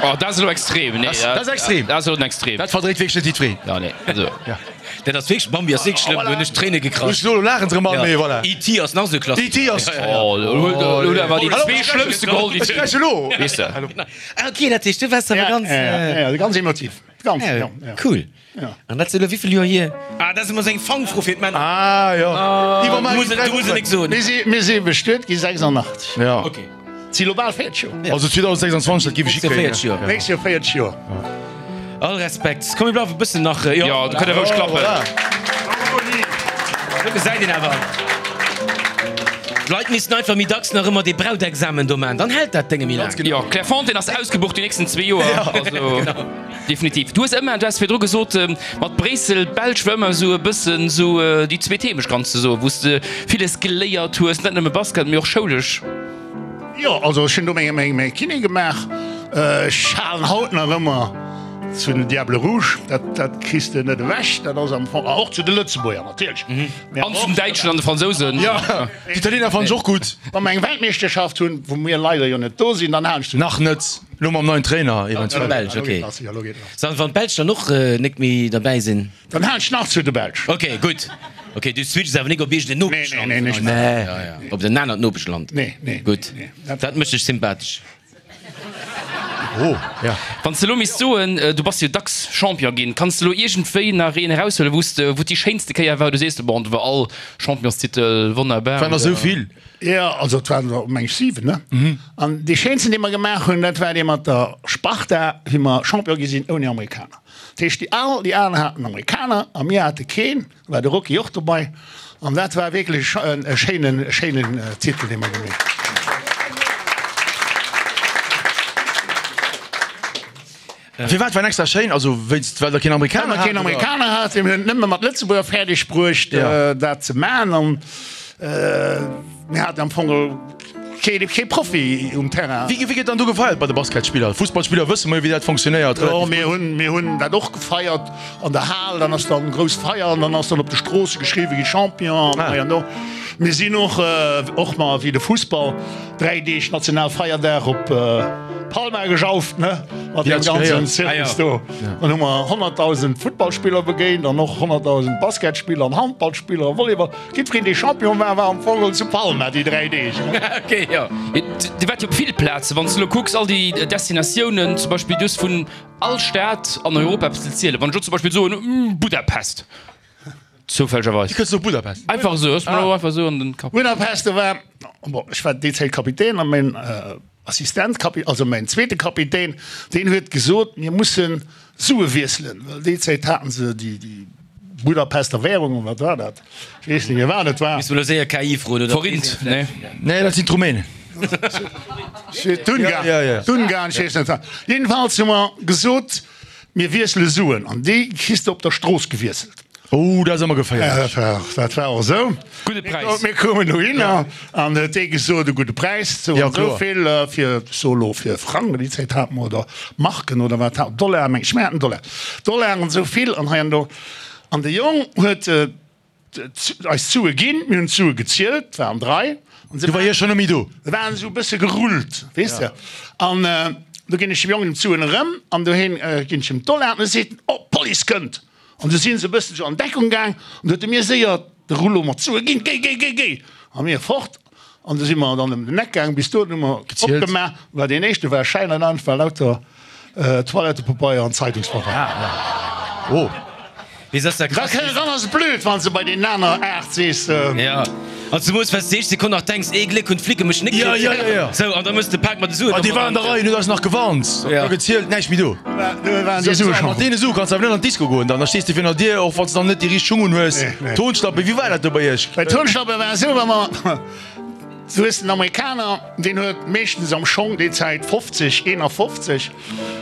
Oh, dat ass elo extrem. Nee, Dat ass extrem. Dat ass elo den Extrem. Dat verdréit wierklech net jiddwereen. Ja, nee, also. Ja. Dat ass wierklech, Bambi ass wierklech schlëmm, do hunn ech d'Tréine gekrasch. Ech elo laachen se erëm all, mee voilà. E T ass nach esou Klassiker. E T ass. Oh, elo huet awer déi zwee schlëmmste geholl, déi Ech kräische elo. Weess de. Ah, ok, dat heescht, du waars awer ganz. Ja, ja, ganz emotiv. Ganz, ja, ja. Cool. Ja. An dat ass elo wéivill Joer hier? Ah, dat ass ëmmer esou eng Fangfro fir d'Männer. Ah, jo. Iwwer Du muss, du muss et nik soen. Mir si, mir si bestuet gi sechsundachtzeg. Ja. Ok. Si lo bal véierzeg Joer. Also zweitausendsechsundzwanzeg, dat géif ech hikréien. Véierzeg Joer. Nächst Joer véierzeg Joer. All Respekt. Komm, mir bleiwe e bëssen nach. Jo, Jo, do kënnt der roueg klappen. Voilà. Do gesäit een awer. D'Leit missten einfach méi dacks nach ëmmer dee Brautexamen do man, dann hält dat Dénge méi laang. Jo, Clairefontaine ass ausgebucht déi nächsten zwee Joer. Also definitiv. Du hues ëmmer, du has virdru gesot, mat Bréissel, d'Belsch war ëmmer esou e bëssen esou déi zweet Heemecht, kanns de soen, wou s de villes geléiert hues, net nëmme Basket, mee och schoulesch. Jo, also ech hunn do meng, meng, meng Kiné gemaach. Ech halen haut nach ëmmer zu den Diables Rouges, dat, dat kriss de net ewech, dat ass am Fong, a och zu de Lëtzebuerger natierlech. An zu den Däitschen an de Fransousen. Jo, d'Italiener fannen ech och gutt. Wa mer eng Weltmeeschterschaft hunn, wou mir leider jo net do sinn, dann halen ech zu. Nach net, lo mam neien Trainer eventuell. Belsch, ok. So, an wann d'Belsch dann och nek méi derbäi sinn? Dann halen ech nach zu de Belsch. Ok, gutt. Ok, du switches awer nik op iergend en Nopeschland? Nee, nee, nee, nee. Ja, ja. Op en anert Nopeschland? Nee, nee. Gutt, dat mécht dech sympathesch. Oh, ja. Wann s de elo misst soen, du bass jo dacks Champion ginn, kanns de elo iergendwéi nach een eraushuelen, wou s de, wou et déi schéinste Kéier war, wou du sees, bon, do war all Championstitel wonnerbar? Waren der esou vill? Jo, also et waren der meng ech siwen, ne? An dee schéinsten, dee mer gemaach hunn, dat war dee mat der Sparta, wéi mer Champion gi sinn ouni Amerikaner. Dat heescht, déi al, déi aner haten Amerikaner a mir hate keen. Do war de Rocky och dobei. An dat war wierklech e schéinen, schéinen Titel, dee mer gemaach hunn. Firwat war en extra schéin? Also wéinst, well der keen Amerikaner Well mer keen hat, oder? Amerikaner haten. Mir hunn et nëmme mat Lëtzebuerger fäerdeg bruecht, dat ze maachen. An mir haten am Fong kee, kee Profi um Terrain. Wéi, wéi gëtt dann do gefeiert bei de Basketspiller? Fussballspiller wësse mer jo, wéi dat fonctionnéiert, Jo, relativ gutt. mir hunn, mir hunn dat och gefeiert an der Hal. Dann ass dann grouss Feier an dann ass dann op de Stroosse geschriwwe gi Champion an hei an do. Mir sinn och, och mar wéi de Fussball, dräi Deeg Nationalfeierdag op Palma gejauft, ne, mat deem ganzen Zirkus do. Dann hu mer honnertdausend Futtballspiller begéint an och honnertdausend Basketspiller an Handballspiller a Volleyball. Jiddwereen, dee Champion war, war am Fong zu Palma déi dräi Deeg. Ok, jo. Dir waart jo op vill Plazen. Wann s de elo kucks, all déi Destinatiounen, zum Beispill, du hues vun all Stad an Europa eppes ze zielen. Wann ech elo zum Beispill soen, Budapest, zoufällegerweis. Wéi kënns du op Budapest? Einfach esou, ass mer elo einfach esou an den Kapp. Budapest, do war, bon, ech war déi Zäit Kapitän a mäin Assistent, also mäin zweete Kapitän, deen huet gesot, mir musse Sue wiesselen, well déi Zäit haten se déi Budapester Währung, oder wat war dat? Ech weess net méi, wat et war. Misst mer elo séier K I froen, oder? Forint, nee. Nee, dat sinn d'Rumänen. D'Ungarn, d'Ungarn, ech weess net wat. Jedenfalls hu mer gesot, mir wiessele Suen an déi kriss de op der Strooss gewiesselt. Oh, dat ass ëmmer geféierlech. Dat war och esou. Gudde Präis. Mir koumen dohinner an huet dee gesot, e gudde Präis, sou an sou vill fir, ech soe lo fir Frang, déi Zäit hate mer, oder Marken oder wat, Dollar meng ech, mir haten Dollar, Dollar an esou vill an hei an do. An de Jong huet eis d'Sue ginn, mir hunn d'Sue gezielt, et waren drai. An se Du war hie schonn net méi do. Se waren esou e bësse gerullt, weess de. An du ginn ech dem Jong d'Suen erëm an doheem ginn ech him d'Dollar an e seet, Oh, d'Police kënnt! An du sinn se e bëssen esou an Deckung gaang an du huet e mir séier de Rouleau mat Sue ginn, Géi, géi, géi, géi! A mir fort. An du si mer dann ëm den Eck gaang, bis do hu mer opgemaach, war deen éischte war Schäin an anert war lauter Toilettepabeier an Zeitungspabeier. Oh. Da dann ass et blöd, wann s de bei deenen aner aacht sees. Jo, an zemoos well s de déi éischt Sekonn nach denks, ee Gléck hunn d'Flicke mech net kritt. Jo, jo, jo. Sou, an da mëss de Pak mat de Suen. Ah, déi waren an der Rei, huet eis nach gewarnt, da gezielt, näischt méi do. Do waren déi Sue schonn. Mat deene Sue kanns de awer net an d'Disco goen dann, da stees de virun der Dier, och wann s de dann net déi richteg Schung un hues. Tonschlappe, wéi war dat do bei iech? Bei Tonschlappe war et esou, wa mer, du hues den Amerikaner, deen huet meeschtens am Schong déi Zäit fofzeg, eenafofzeg,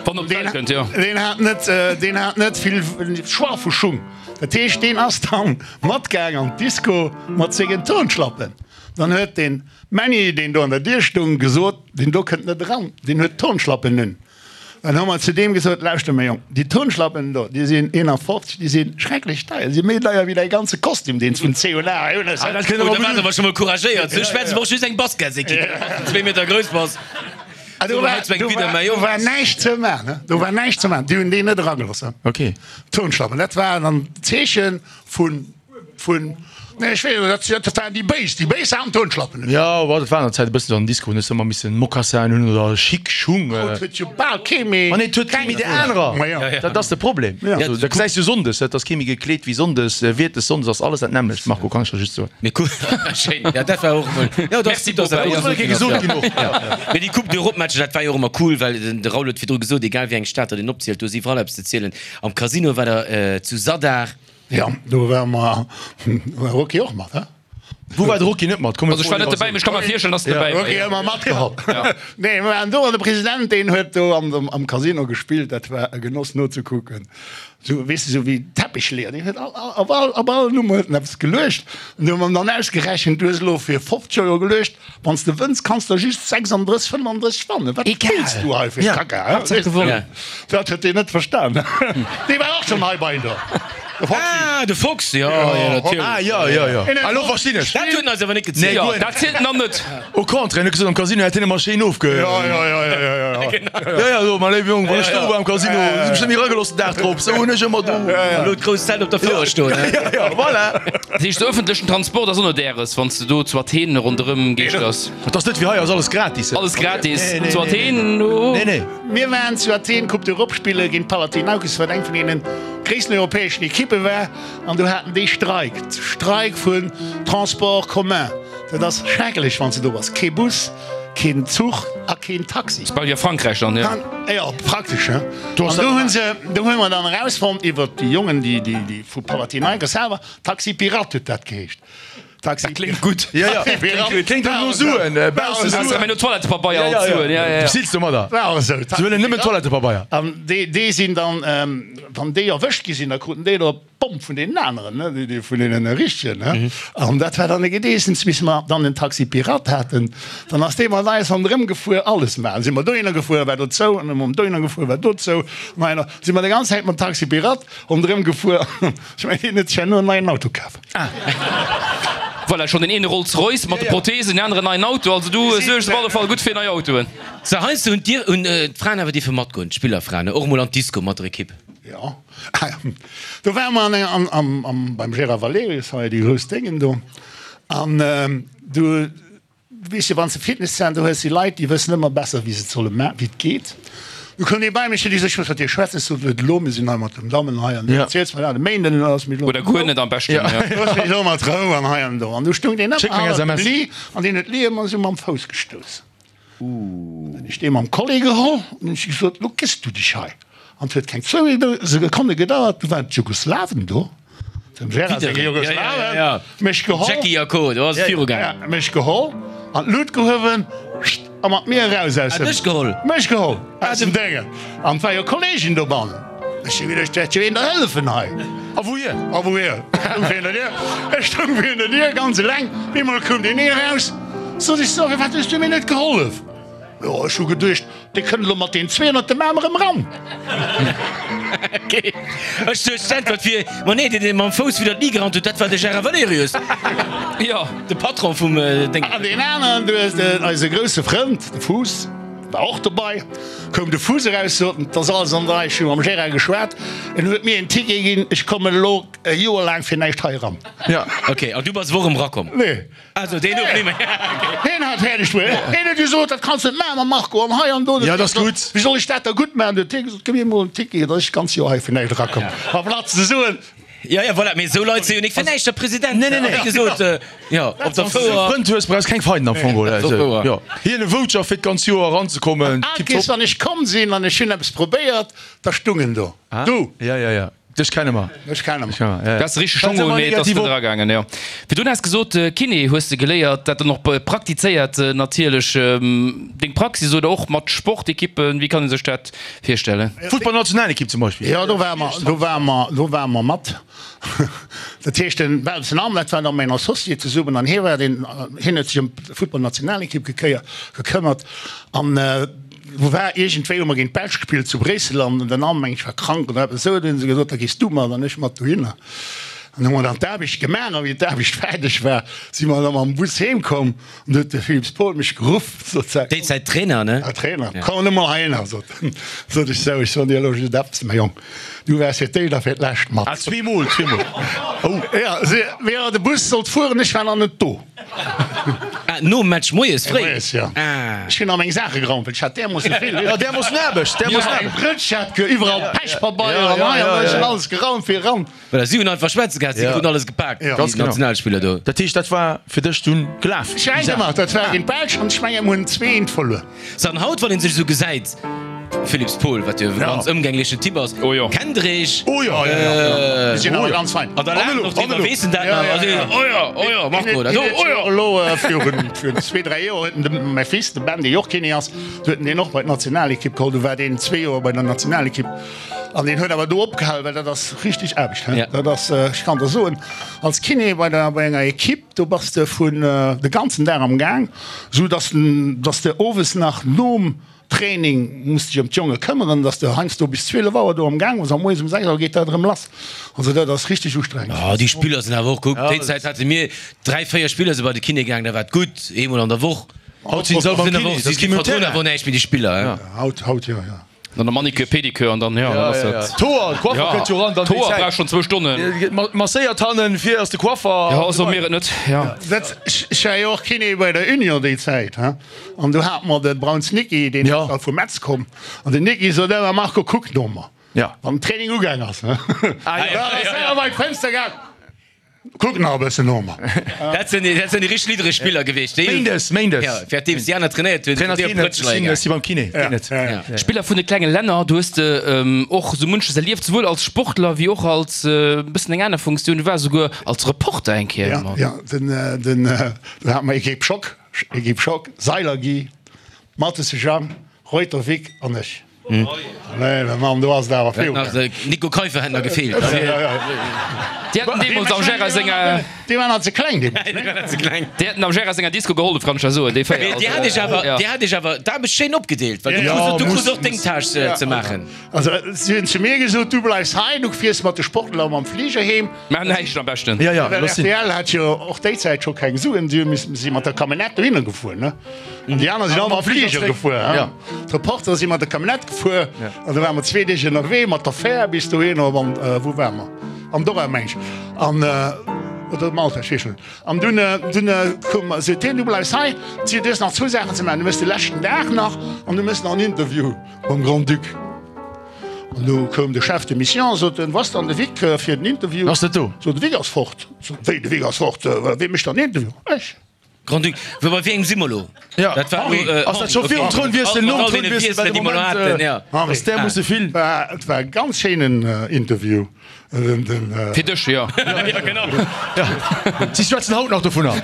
Wann op d'Welt kënnt, jo. Deen hat net, deen hat net vill Choix vu Schung. Dat heescht, deen ass dann matgaang an d'Disco mat sengen Turnschlappen. Dann huet den Männi, deen do an der Dier stung, gesot, deen do kënnt net eran, deen huet Turnschlappen un. Dann hu mer zu deem gesot, Lauschter mäi Jong, déi Turnschlappen do, déi sinn eenafofzeg, déi si schrecklech deier, déi si méi deier wéi däi ganze Kostüm, deen s vun C un A un hues. Ah, dat kënnt awer awer scho mol couragéiert. Sou schwätze mer och just eng Basketsequipe, wann s de zwee Meter grouss bass. Ah, do war, do war, do war näischt ze man, do war näischt ze man. Déi hunn deen net eragelooss. Okay. Turnschlappen, dat war dann d'Zeeche vun, vun, nee, ech weess net, dat, dat waren déi Béis, déi Béis haten Turnschlappen un. Jo, dat war an der Zäit e bëssen esou an den Discoen, hues de ëmmer missen Mocassin hunn oder chic Schung. Haut huet jo bal kee méi. Ma nee, et huet kee méi déi anerer. Ma jo. Dat ass de Problem. Also, dat gesäis du sonndes, et ass kee méi gekleet wéi sonndes, wiertes sonndes ass alles dat nämmlecht, Marco, kann ech der just soen. Mee cool, schéin, ja dat war och emol, jo dat ass gutt, dass dat Muss mol eng Kéier gesot ginn och. Mee déi Coupe d'Europe Matcher, dat war jo och ëmmer cool, well de Raoul huet virdru gesot, egal wéi eng Stad datt een opzielt, do ass iwwerall eppes ze zielen. Am Casino war der zu Zadar. Jo, do ware mer, war Rocky och mat, he? Wou war de Rocky net mat? Komm, Also ech war net dobäi, mee ech ka mer virstellen, dass en dobäi war. Rocky ëmmer matgeholl. Nee, mir waren do an de President, deen huet do am Casino gespillt, dat war e Genoss nozekucken. Sou, weess de, sou wéi Teppichleeër, deen huet all, all, op all, op all Nummer huet en eppes geluecht. An du hu mer dann ausgerechent, du hues elo fir fofzeg Euro geluecht, wann s de wënns, kanns der just sechsanddrësseg, fënnefandrësseg wannen. Wat spills du hei fir Kacka, hä? Haaptsaach gewonnen. Dat huet deen net verstan. Dee war och schonn hei bei der, de Foxy. Ah, de Fox, jo, jo, natierlech. Ah, jo, jo, jo. Elo verstinn ech. Dat huet en eis awer net gezielt. Nee, Jo, guer net. dat zielt en dann net. Au contraire, en huet gesot, am Casino hätt hien ëmmer schéin ofge. Jo, jo, jo, jo, jo, jo. Jo, jo, so, mein léiwe Jong, wann ech do war am Casino, si mech net méi eragelooss den Dag drop, sou hunn ech ëmmer do. Elo d'grouss Zelt op der Fouer stoen, he? Jo, jo, voilà. Dat heescht, de ëffentlechen Transport ass och net äres, wann s de do zu Athen ronderëm geeschters? Et ass net wéi hei, ass alles gratis. Alles gratis Nee, nee, zu nee, Athen? Oh. Nee, nee. Mir waren zu Athen Coupe d'Europe spille géint Panathinaikos, wat eng vun deenen gréissten europäeschen Ekippe war, an do haten déi Streik, Streik vun Transport commun. Dat ass schrecklech, wann s de do bass, kee Bus, keen Zuch a keen Taxi. Ass bal wéi a Frankräich dann, jo. Jo, praktesch, he. An do hu se, do hu mer dann erausfonnt iwwert déi Jongen, déi, déi, déi vu Panathinaikos selwer, Taxi Pirate huet dat geheescht. Taxi. Dat kléngt gutt. Jo, jo, kléngt och no Suen, bausse Suen. Mä no Toilettepabeier alt Suen, jo, jo. Du beziils domadder. War och esou. Se huelen nëmmen Toilettepabeier. An déi, déi sinn dann, wann déi erwëscht gi sinn, da kruten déi der D'Bomm vun deenen aneren, ne, déi vun deenen richtegen, ne. An dat war dann e Gedeessens, bis mer dann den Taxi Pirate haten. Dann ass dee mat eis ronderëm gefuer, alles maachen. Si mer dohinner gefuer, war do zou, an erëm dohinner gefuer, war do zou. An heihinner si mer déi ganz Zäit mam Taxi Pirate ronderëm gefuer. Ech mengen, deen huet sech herno en neien Auto kaf. Voilà, schonn den eene Rolls Royce mat de Prothesen, den aneren neien Auto. Also du suergs op alle Fall gutt fir nei Autoen. Sou, heiansdo hunn d'Dir, hunn d'Fraen awer dierfe matgoen, d'Spillerfraen, och emol an d'Disco mat der Ekipp. Jo, do ware mer an eng, am, beim Gérard Valerius hei, déi grouss Déngen do. An du weess jo, wann s de Fitnesszenter hues, déi Leit, déi wëssen ëmmer besser, wéi se et solle maachen, wéi et geet. Du koum dee bei mech, huet gesot, ech muss mat dir schwätzen. Ech sot, net elo, mir sinn hei mat den Dammen hei an du erziels mer dat e Méinden, elo looss mech elo Oder guer net am beschten, jo. Looss mech elo mat Rou an hei an do. An du stoung deen Schéck ëmmer meng hannert dem S M S. Lee an deen huet d'Lee ëmmer esou mam Fouss gestouss. Dann hunn ech dee mam Kolleg geholl an hunn ech gesot, Lo gëss du dech hei. An et huet keng zwou Sekonne gedauert, du waren d'Jugoslawen do, dem Gérard seng Jugoslawen, mech geholl, Jackie a Co, do ass et virugaangen. mech geholl, an d'Lut gehuewen a mat mir eraus aus dem. Ah, dech geholl? Mech geholl aus dem Déngen. An et war jo Kolleegen dobannen. Ech hu geduecht, wäert jo een der hëllefen hei. A wouhier? A wouhier? Ech stoung virun der Dier, ech stoung virun der Dier ganz eleng. Op eemol koum deen een eraus, sot ech, so, firwat hues du mir net gehollef? Jo, ech hu geduecht, dee kënnt elo mat deen zwee ënnert dem Aarm erëm eran. Okay. Ech duecht d'Äntwert wier, Ma nee, deen deen mam Fouss widder d'Li gerannt huet, dat war de Gérard Valerius. Jo. De Patron vum Déng. An deen aneren, du hues den, eise grousse Frënd, de Fuuss, war och dobei. Koum de Fuuss eraus, sot en, 't ass alles an der Rei, ech hu mam Gérard geschwat, en huet mir en Ticket ginn, ech kommen elo e Joer laang fir näischt hei eran. Ja. Okay, an du bass awer och erëm erakomm? Nee. Also deen huet méi. Hien hat fäerdeg bruet. Hien huet gesot, dat kanns net maachen mam Marco an hei an do. Ja, dat ass gutt. Wéi soll ech dat da gutt maachen? Du huet hie gesot, gëmm mir emol en Ticket, datt ech d'ganz Joer hei fir näischt erakomm. Amplaz ze soen. Ja, ja, voilà, mee esou Leit si jo nik fir näischt der President. Nee, nee, nee. Wéi gesot, jo, op der Fouer. Frënd hues, brauchs keng Feinden am Fong, oder? Jo, hien e Voucher fir d'ganz Joer eranzekommen, Al tipptopp. Kees, wann ech komm sinn an ech hunn eppes probéiert, da stung en do. Du! Ja, ja, ja. Dech kenne mer. Dech kenne mer. Du has de richteg Schong un, mee et ass net eragaangen, jo. Virdrun has gesot, Kiné hues de geléiert, dat dann och praktizéiert natierlech. Deng Praxis oder och mat Sportekippen, wéi kann ee sech dat virstellen? Futtballnationalekipp zum Beispill. Jo, do ware mer, do ware mer, do ware mer mat. Dat heescht, den Belsen Arm, dat war da mäin Associé zesummen an hie war deen, hien huet sech ëm d'Futtballnationalekipp gekéiert, gekëmmert an, Wou war iergendwéi hu mer géint d'Belsch gespillt zu Bréissel an den Arm meng ech war krank oder eppes esou, du hunn se gesot, da gees du mat an ech mat dohinner. An hu mer dann d'Aarbecht gemaach a wéi d'Aarbecht fäerdeg war, si mer da mam Bus heem komm an du huet de Philippe Paul mech geruff, sot se. Déi Zäit Trainer, ne? Ja, Trainer. Komm emol heihinner, sot en. Sot ech, sou, ech soen dir elo just eppes, mäi Jong, du waars fir d'éischt a fir d'lescht mat. Ah, zweemol, zweemol. Oh. Ja, si, wéi de Bus sollt fueren, ech war nach net do. Ah, nom Match moies fréi? Moies, jo. Ah. Ech hunn nach meng Saache geraumt, well ech hat därmoosse vill. Ja, därmoossen Aarbecht, därmoossen Eng Aarbecht. Prëtsch hat ge iwwerall Pechpabeier an hei an do. Ech hunn alles geraumt fir eran. Voilà, si hunn einfach schwätze gehat, si kruten alles gepaakt, Ja. déi Ganz genau. Nationalspiller do. Dat heescht, dat war fir dech dunn gelaf, Ech déi eng Saach? gemaach, dat war géint d'Belsch an ech mengen, mir hunn zwee eent verluer. So, an haut, wann een sech esou gesäit, Philipps Paul, wat jo e ganz ëmgänglechen Typ ass, Oh jo. kennt der Eech? Oh jo, Ja, ja, ja. Mir sinn Oh awer jo. ganz fein. An da laachen och driwwer, weess en dat nach? Also, oh jo, oh jo, Marco, dat do, oh jo. Elo virun virun zwee, dräi Joer huet en de mäi Fils, de Ben, dee jo och Kiné ass, du huet en deen och bei d'Nationalekipp geholl. Du war deen zwee Joer bei der Nationalekipp an deen huet awer do opgehal, well dat ass richteg Aarbecht, he. Ja. Dat ass, ech kann der soen, als Kiné bei der bei enger Ekipp, do bass de vun de ganzen Dag am Gaang, sou dass dass de owes nach nom Training muss dech ëm d'Jonge këmmeren, dass de heiansdo bis zwielef Auer do am Gaang bass a moies um sechs Auer geet dat erëm lass. Also dat ass richteg ustrengend. Oh, déi Spiller sinn awer och, kuck, déi Zäit hate mir dräi, véier Spiller si bei de Kiné gaang, da war et gutt, eemol an der Woch. Haut sinn se all beim Sinn awer Kiné, och, dat ass si kee méi um verdroen Terrain. awer och näischt méi, déi Spiller, hein. Haut, haut jo, jo. Dann der Manicure, Pedicure an dann, jo, dann ass dat. D'Hoer, de Coiffer kënnt jo eran, dann déi D'Hoer Zäit. brauch schonn zwou Stonnen. Masséiert hannen, vir ass de Coiffer. Jo, so mir et net, jo. Dat, ech war jo och Kiné bei der Union déi Zäit, hein, an do hate mer de Brauns Niki, deen ass da vu Metz komm, an den Niki sot ëmmer, Marco, kuck no mer, wann den Training ugaang ass, hein. Da ass en bei d'Fënster gaang. Kuck nach e bëssen no mer. Dat sinn dat sinn déi richteg liddereg Spiller gewiescht. Déi Méindes, Méindes. Ja, während deems déi aner trainéiert hunn, Trainer sinn déi op Trainer, Prëtschleier sinn gaangen. si beim Kiné, deen net. Ja, ja. Spiller vun de klenge Länner, do hues de och sou munches erlieft, souwuel als Sportler wéi och als e bëssen eng aner Funktioun. Du waars souguer als Reporter eng Kéier Ja, mat. ja, den, den, do hate mer Equipe Schock, Equipe Schock, Seiler Guy, Mathesse Jang, Reuter Vic an ech. Nee, Mann, do ass et awer vill. Nach Nico Keiffer hätt nach gefeelt. Déi hätten deemools am Gérard senger. Déi waren nach ze kleng deemools. Déi waren nach ze kleng. Déi hätten am Gérard senger Disco gehollef, kann ech der soen, déi véier. Mee Dir hat iech awer, Dir hat iech awer d'Aarbecht schéin opgedeelt, well du krus, du krus och deng Tâche ze maachen. Also si hunn zu mir gesot, du bleifs hei, du fiers mat de Sportler mam Fliger heem. Maach näischt am beschten. Ja, ja, Well looss sinn. R T L hat jo och déi Zäit scho keng Suen, si hu missen, si mat der Camionnette dohinner gefuer, ne? An déi aner sinn all mam Fliger gefuer. Ja. D'Reportere si mat der Camionnette gefuer an da ware mer zwee Deeg ënnerwee mat der Fähr bis dohinner op an, wou ware mer? Andorra meng ech. An, oder Malta, ech weess net. An dunn, dunn koum, seet hien, du bleifs hei, du hues nach zwou Saachen ze maachen, du méchs de leschten Dag nach an du méchs nach en Interview mam Grand-Duc. An du koum de Chef de mission, sot en, wou ass dann de Vic fir den Interview? Ass net do. Sot, de Vic ass fort. Sot, wéi, de Vic ass fort? Wee mécht dann den Interview? Ech. Grand-Duc, wou bei wéi engem si mer elo? Ja. Dat war Henri. elo, Ass dat scho virum Trounwiessel, nom Trounwiessel, well de Moment, ja. ass därmoosse vill. War, et war e ganz schéinen Interview. Den, den, Fir dech, jo. Ja, genau. Ja. Si schwätzen haut nach dovunner.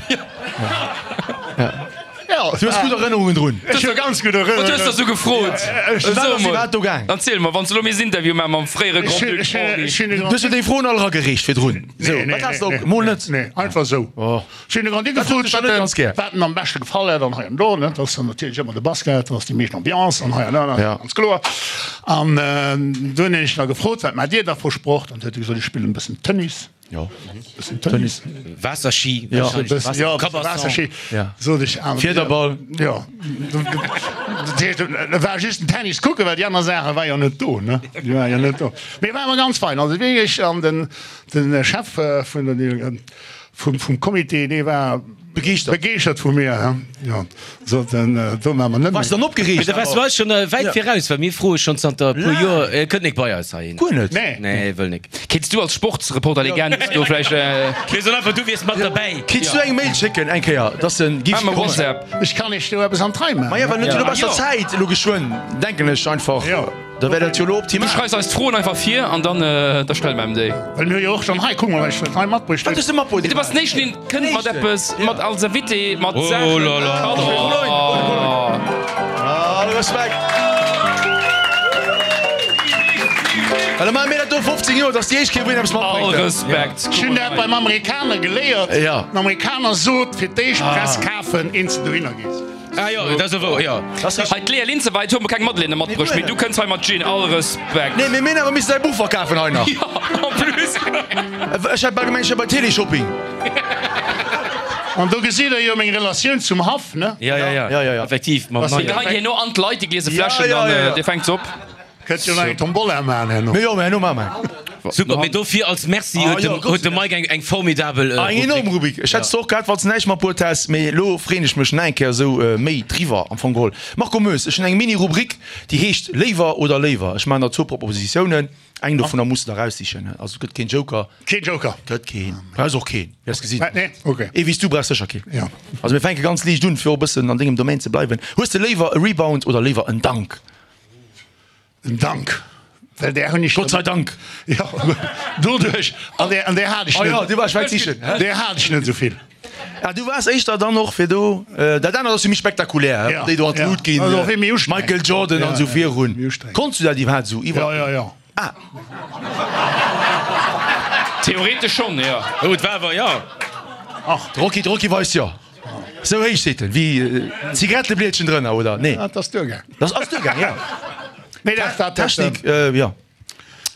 Ja, Du hues gutt Erënnerungen drun. Ech hu ganz gutt Erënnerungen. Wat hues de sou gefrot? Wat ass iwwerhaapt do gaang? Erziel mer, wann s de elo misst Interview maache mam fréiere Grand-Duc Henri. Du hues jo déi Froen all eragereecht virdrun. Sou, wat has de op? Mol net? Nee, einfach sou. Ech hunn de Grand-Duc gefrot, wat en am beschte gefall hätt an hei an do. Dat ass dann natierlech ëmmer de Basket, dat ass déi meescht Ambiance an hei an do, dat ass ganz kloer. An du hunn ech nach gefrot, wat maacht Dir da vu Sport? An du huet e gesot, ech spillen e bëssen Tennis. Jo. Bëssen Tennis. Waasserski. Jo, e bëssen, jo, e bësse Waasserski. Sot ech. Fiederball. Jo. Dat heescht, et war just den Tennis kucken, well déi aner Saache war jo net do, ne? Déi war jo net do. Mee war awer ganz fein. Also wierklech, an den, den Chef vun der, vum, vum Comité, dee war Begeeschtert. Begeeschtert vu mir, he. Jo, sot en, do maache mer net méi. Waars dann opgereegt? Mee da waars du eis schonn wäit viraus, well mir froe schonn zanter e puer Joer, e kënnt nik bei eis heihin. Guer net? Nee. Nee, wëll nik. Kéints du als Sportsreporter-Legend do vläicht. Mir soen einfach, du wiers mat derbäi. Kéints du eng Mail schécken eng Kéier, dass en giff Maache mer kommen? WhatsApp. Ech kann iech do eppes an d'Rei maachen. Maja, well en huet jo elo besser Zäit, elo geschwënn, denken ech einfach. Jo. Da wär dat jo elo Du optimal. schreifs eis d'Froen einfach vir an dann da stelle mer em déi. Well mir hu jo och schonn hei, kuck mol, wat ech hei matbruecht Wat hunn. hues de matbruecht? Du bass den éischten, deen kënnt mat eppes, mat als Invité, mat Oh Saachen. là là. Oh. All Respekt. Well da maache mir dat do fofzéng Joer, dass déi éischt Kéier wou een eppes All matbréngt. Respekt. Ech hunn dat beim Amerikaner geléiert. Ja. Den Amerikaner sot, fir d'éischt Press kafen, eens de dohinner gees. Ah jo, dat ass och wouer, jo. Hei d'Léa Linzeweit huet mer keng Madeleine matbruecht, mee du kënns hei mat Gin. All Respekt. Nee, mee mir hunn awer missen säi Buch verkafen hei nach. Jo, en plus. Ech hat bal gemengt, ech wär bei Teleshopping. An do gesitt der jo meng Relatioun zum Haff, ne? Ja, ja, ja, Ja, ja, ja. Effektiv, mam Mir neien. geheien herno an d'Leit déi gliese Fläschen, Ja, ja, dann ja, ja. dir fänkt se op. Kënnt jo nach eng Tombola maachen herno. Mee jo, mee herno maache mer eng. Super, mee dofir als Merci huet jo, de, Gott huet de Mike eng, eng formidabel Ah, eng enorm Rubrik. Rubrik. Ech hätt se och gehat, wann s de näischt matbruet häss, mee elo freeën ech mech nach eng Kéier esou méi driwwer am Fong geholl. Marco Moes, ech hunn eng Mini-Rubrik, déi heescht Léiwer oder léiwer. Ech maachen der zwou Propositiounen, eng dovunner muss de der eraussichen. Also et gëtt keen Joker. Keen Joker? Gëtt keen. Brauchs och keen, wäers gesinn. Wat? Nee? Ok. Ee wéi s du brauchs sécher keen. Jo. Also mir fänke ganz liicht un, fir och e bëssen an dengem Domaine ze bleiwen. Hues de léiwer e Rebound oder léiwer en Dunk? En Dank, well där hunn ech. Gott sei Dank! Jo, doduerch, an där, an där hat ech Oh jo, net. du waars wäit sichen, hä? Där hat ech net esou vill. Ah, du waars éischter dann och fir do, dat anert ass jo méi spektakulär, hä, Ja, déi do an ja. d'Lut ginn, Also och méi ustrengend. Michael Jordan an Ja, esou ja, virun. méi ustrengend. Konns du dat iwwerhaapt esou iwwer? Ja, ja, ja. Ah. Theoretesch schonn, jo. Oh, et war awer, jo. Ach. De Rocky, de Rocky weist jo. Sou héich seet en, wéi Zigaretteblietchen drënner, oder? Nee. Dat ass duergaang. Dat ass duergaang, ja. Nee, dat, dat, Technik, jo.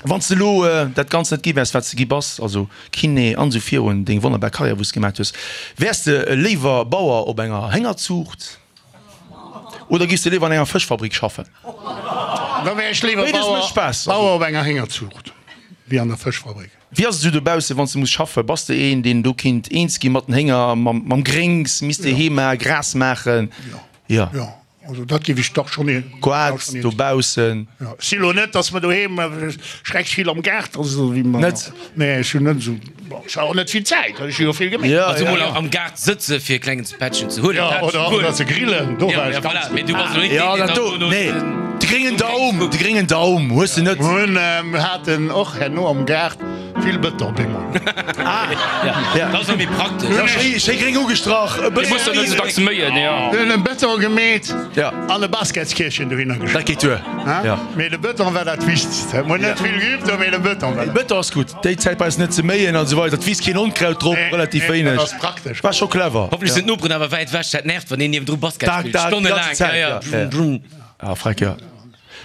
Wann s de elo dat Ganzt net gi wäers, wat s de gi bass, also Kiné an esou virun, deng wonnerbar Karriär, wou s de gemaat hues, wäers de léiwer Bauer op enger Héngerzuucht oder giffs de léiwer an enger Fëschfabrik schaffen? Da wär ech léiwer Béides Bauer, mécht Spaass. Bauer op enger Héngerzuucht wéi an der Fëschfabrik. Wéi ass et esou dobaussen, wann s de muss schaffen? Bass de een, deen do kinnt eens gi mat den Hénger, mam, mam Gréngs, misst de heem maachen, Gras maachen? Jo. Jo. Also dat géif ech dach schonn een. Goart dobaussen. Jo, ech si lo net, datt mer doheem schrecklech vill am Gaart ass esou wéi mer. Net? Nee, ech hunn net esou, bon, ech hu och net vill Zäit, well ech hu jo vill geméit. Jo, Also jo, mol jo. am Gaart sëtze fir e klengen Pättchen ze huelen, Jo, dat oder, guer oder net. ze grillen, do Ja, war ja, ech voilà, ganz mee du bass elo net Jo, deen, deen dat dann do, dono nee, den. de gréngen Daum, de gréngen Daum hues de net. Mir hunn, mir haten och herno am Gaart vill Bëton bemol. Ah, ja. Dat ass och méi praktesch. Ja, schéi, schéi gréng ugestrach, e Dir musst jo net bëssen. esou dacks méien, jo. Mir hunn e Bëton gemeet Ja. an e Basketskierfchen dohinner Dat gestallt. geet duer, ja. Mee de Bëton war dat Wichtegst. Mir hunn net vill geübt, mee de Bëton war dat. Bëton ass gutt, déi Zäit brauchs net ze méien an esou weider, et wiisst keen Onkraut drop, Nee, relativ nee, dat wéineg. ass praktesch. War scho clever. Hoffentlech sinn d'Noperen awer wäit ewech, dat nervt, wann een niewendru Basket Dag, spillt, dag, déi ganze stonnelaang. Zäit, Ja, ja. ja, ja. Ah, freck, ja.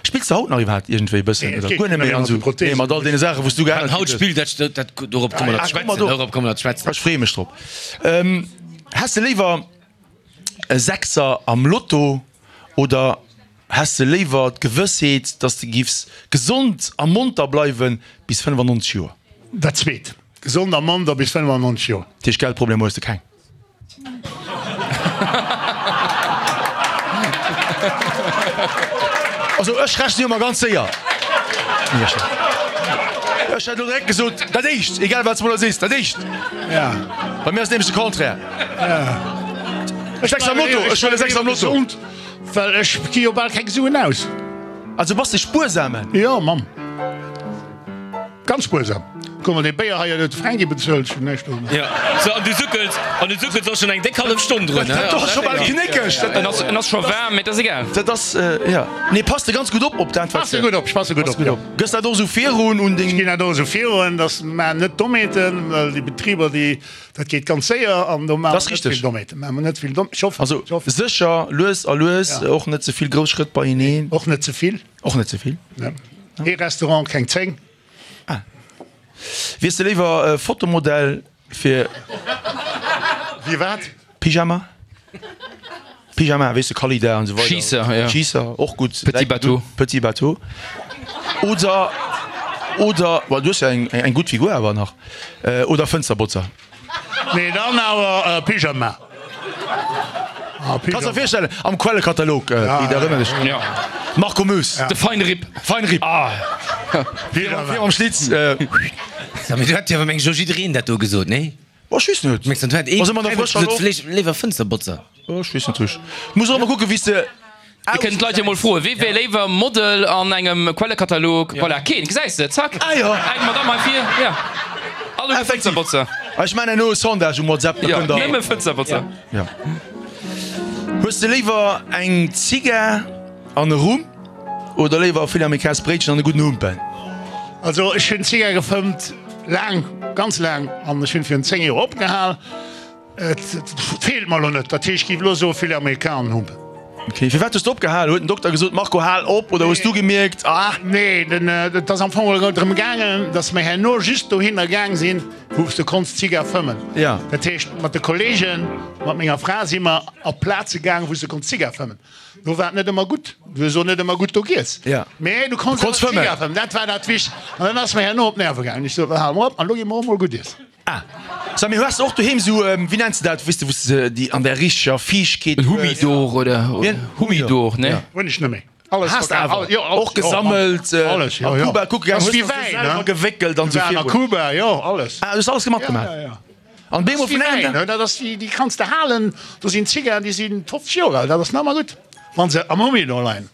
Spills de haut nach iwwerhaapt iergendwéi e bëssen Nee, oder et guer geet net méi net an méi esou? mat de Prothesen. Nee, mat all deene Saachen, wou s du Wat geännert haut kritt hues. spillt, dat, dat, dorop komme mer Ah, ze komm mer schwätzen, do. dorop komme mer ze schwätzen. Ech freeë mech drop. Ähm, häss de léiwer e Sechser am Lotto oder häss de léiwer d'Gewëssheet, dass de giffs gesond a monter bleiwe bis fënnefannonzeg Joer? Dat zweet. Gesond a monter bis fënnefannonzeg Joer. Dat heescht, Geldproblemer hues de keng? Also ech rechnen jo emmer ganz séier. Ech hätt elo direkt gesot, dat éischt, egal wat s de mer elo sees, dat éischt. Ja. Bei mir ass nämlech de Contraire. Ech Sechs am Lotto, ech huele sechs am Lotto. Gesond, well ech gi jo bal keng Suen aus. Also bass de spuersamen? Jo, Mamm. Ganz spuersam. Kuck mol, dee Béier hei huet de Fränki bezuelt, ech hunn näischt do. Jo, sou, an du suckels, an du suckels och schonn eng déck hallef Stonn drun, Dat ass scho bal knéckeg. En ass, en ass scho waarm, mee et ass egal. Dat ass, jo. Nee, pass de ganz gutt op op dat, wat. Passe gutt op, ech passe gutt op, jo. Gëss dat och esou virun un deng. Ech ginn dat och esou virun, dass mer net Dommheeten, well déi Betriber, déi, dat geet ganz séier an do maache mer net vill Dommheeten, maache mer net vill Domm, ech hoffen, Also ech hoffen. sécher, lues a lues, och net ze vill grouss Schrëtt beieneen. Och net ze vill. Och net ze vill. Ne. Ee Restaurant, keng zéng. Ah. Wiers de léiwer Fotomodell fir. Wie wat? Pyjama? Pyjama, weess de, Kalida an esou weider. Schiisser, ja. Schiisser, och gutt. Petit Bateau. Petit Bateau. Oder, oder, well du hues jo eng, eng gutt Figur awer nach. Oder Fënsterbotzer. Nee, dann awer Pyjama. Kanns der virstellen, am Quellekatalog, Pit, erënner dech. Ja. Marco Moes. De Feinripp. Feinripp. Ah. Virum am Schlitz. Mee do hätt jo awer meng ech och jiddereen dat do gesot, nee? Oh, ech weess net. Mengs du, do hätt ee Ass ëmmer nach frësch gesot, vläicht léiwer Fënsterbotzer? Oh, ech weess net richteg. Muss och ëmmer kucken, wéi s de. Mir kënnen d'Leit jo mol froen, Wie wär léiwer Model an engem Quellekatalog? Voilà, keen, gesäis de, zack, Ah jo. eng Madame hei vir, ja. Alleguer Effektiv. Fënsterbotzer. Ech maan herno e Sondage um WhatsApp, da Jo, kënnt der. nëmme Fënsterbotzer. Ja. Hues de léiwer eng Zigar an e Rum oder léiwer e Filet Americains Bréitchen an e gudden Humpen? Also ech hunn Zigar gefëmmt, laang, ganz laang, an ech hunn virun zéng Joer opgehal. Et feelt mer elo net, dat heescht, ech géif elo soe Filet Americain an Humpen. Ok, firwat hues de opgehal? Huet den Dokter gesot, Marco hal op, oder hues du gemierkt, ah. Nee, den, et ass am Fong elo drëm gaangen, datt mer herno just dohinner gaang sinn, wou s de konns Zigar fëmmen. Ja. Dat heescht, mat de Kollegen, mat menger Fra si mer op Plaze gaang, wou s de konns Zigar fëmmen. Do war et net ëmmer gutt, du hues och net ëmmer gutt do giess, Ja. mee du konns Du konns awer fëmmen. Zigar fëmmen. Dat war dat Wichtegst. An dann ass mer herno op d'Nerve gaangen. Ech sot, hale mer op an elo gi mer och mol gutt iessen. Ah, sag mir, hues de och doheem sou, wéi nenns de dat, weess de, wou s de déi an der richteger Fiichtkeet En hues? Humidor oder Wien? Humidor, ne? Ja. Hunn ech net méi. Alles Has de verkaf, awer alles, jo, alles, och gesammelt, jo, alles, jo, a jo. Kuba kucke gaang, Ass hues wéi de se Wäin, selwer ne? gewéckelt an sou Waren a virun. Kuba, jo, alles. Ah, du hues alles gemat Ja, gemaach? ja, ja. An Dat bemol ass wéi vun engem Wäin, Dag. ne? Dat ass wéi, déi kanns de halen, do sinn Zigarren, déi sinn fofzeg Joer al, dat ass nach ëmmer gutt, wann se am Humidor leien.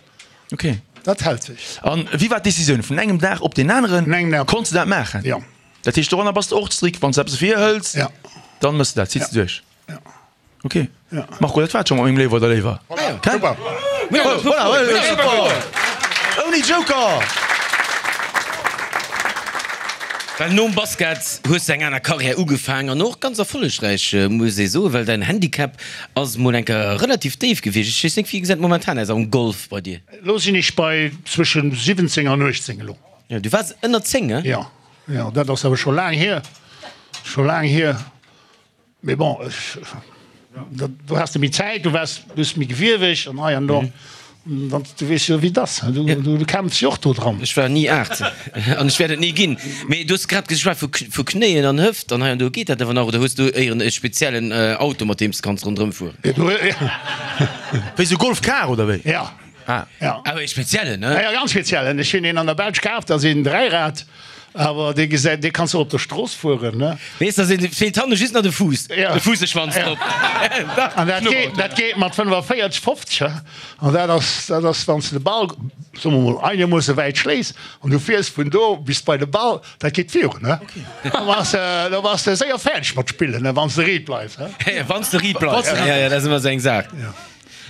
Ok. Dat hält sech. An wéi war d'Decisioun? Vun engem Dag op deen aneren Vun engem Dag op. konns de dat maachen? Jo. Dat heescht, doranner bass de och strikt, wann s de eppes virhëls, Ja. dann mëss de dat, zitt de duerch. Ja. Ok. Ja. Marco, dat war et scho mat mengem Léiwer oder Léiwer. Voilà, Gell? super. Voilà, voilà, super! Ouni Joker! Well nom Basket hues de eng aner Karriär ugefaang an och ganz erfollegräich, muss ee soen, well däin Handicap ass mol eng Kéier relativ déif gewiescht. Ech weess net, wéi gesäit et momentan aus am Golf bei dir? Elo sinn ech bei zwëschen siwwenzéng an uechtzéng elo. Jo, du waars ënner zéng, he? Jo, jo, dat ass awer scho laang hier, scho laang hier. Mee bon, ech, dat, do has de méi Zäit, du waars, du hues méi gewieweg an hei an do. Dann, du weess jo, wéi et ass, du, du, du kämpfs jo och do dran. Ech war ni aacht an ech wäert et ni ginn. Mee du hues grad geschwat vu, vu Knéien an Hëft an hei an do. Geet dat awer nach oder hues du éieren e speziellen Auto, mat deem s de kanns ronderëm fueren? Wéi sou Golfkar oder wéi? Ja. Ah. Ja. Awer ee speziellen, ne? Ja, ja, ganz speziellen. Ech hunn een an der Belsch kaf, dat ass een Dräirad, awer dee gesäit, dee kanns du och op der Strooss fueren, ne? Weess, da feelt hanne just nach de Fuuss, Ja. de Fuusseschwanz drop. An dat geet, dat geet mat fënnefenvéierzeg, fofzeg, he? An dat ass, dat ass, wann s de de Ball, soe mer mol, einermoosse wäit schléiss an du fiers vun do bis bei de Ball, dat geet virun, he? Da bass de, da bass de séier fäerdeg mat spillen, ne, wann s de riit bleifs, he? Wann s de riit bleifs, ja, ja, dat ass ëmmer esou eng Saach. Ja.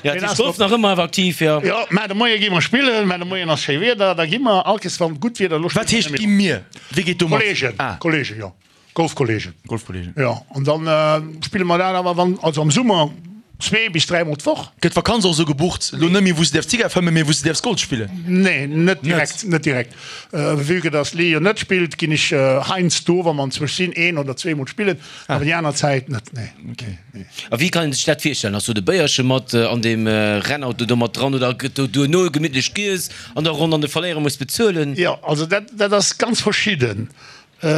Ja, dat heescht Golf nach ëmmer awer aktiv, jo. Jo, mä de Moie gi mer spillen, mä de Moien ass schéi Wieder, da gi mer all Kees wann gutt Wieder, elo Wat spille heescht mer gi net méi. mir? Wie geet do mat? Kollegen, Ah. Kollegen, jo, Golfkollegen. Golfkollegen. Jo, an dann spille mer dat awer wann, also am Summer zwee bis dräi mol d'Woch. Gëtt d'Vakanz och esou gebucht, elo net méi wou s de däerfs Zigar fëmmen, mee wou s de däerfs Golf spillen? Nee, net direkt, net direkt. Vue que dass d'Lee jo net spillt, ginn ech heiansdo, wa mer anzwousch sinn, een oder zwee mol spillen, awer déi aner Zäit net, nee. Nee. A wéi kann een sech dat virstellen? Ass do de Béierche mat an deem Rennauto do mat dran oder gëtt do duerno gemittlech giess an der Ronn an de Verléierer muss bezuelen? Jo, also dat, dat ass ganz verschidden.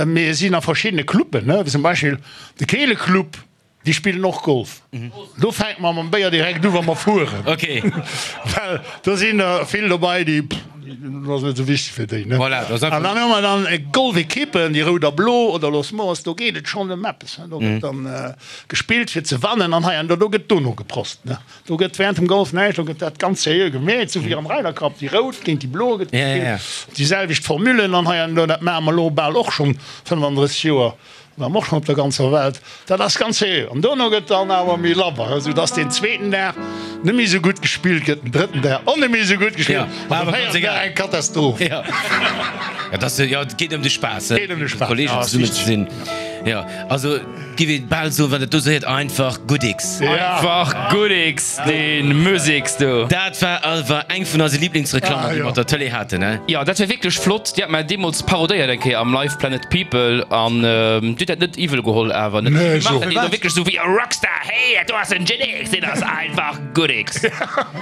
Mir sinn a verschiddene Cluben, ne, wéi zum Beispill de Keeleclub, déi spillen och Golf. Do fänke mer mam Béier direkt u wa mer fueren. Okay. Well do sinn der vill dobei, déi, Dat ass net esou wichteg fir déi, ne? Voilà, dat ass An dann hu mer dann Golfekippen, déi rout a blo, oder Los Moors, do geet et schonn ëm eppes, ne? Do gëtt dann gespillt fir ze wannen an hei an do, do gëtt dono geprost, ne? Do gëtt während dem Golf näischt, do gëtt dat ganz seriö gemeet, sou wéi am Ryder Cup, déi rout géint déi blo gëtt gespillt, déi selwecht Formulen an hei an do, dat maache mer elo bal och schonn fënnefandrësseg Joer. War och schonn op der ganzer Welt. Dat ass ganz seriö. An dono gëtt dann awer méi labber, esou dass deen zweeten Dag net méi esou gutt gespillt gëtt, den drëtten Dag och net méi esou gutt gespillt an de véierten Dag eng Katastroph. Jo, et ass, jo, et geet ëm de Spaass, Geet ëm de mat Spaass, Kollegen ja, zesummen ze sinn. Jo, also giff ee bal soen, wann dat do sou heet, einfach Goodix. Einfach Goodix, dee Musex do. Dat war awer eng vun eise Liblingsreklammen, déi mer op der Tëlee haten, ne? Jo, dat war wierklech flott. Déi hat mer deemools parodéiert eng Kéier am Live Planet People an Dir hutt dat net iwwel geholl awer, ne? Nee, Dir maacht dat so. elo wierklech sou wéi e Rockstar, Hey, dat do ass en Genix, deen ass einfach Goodix.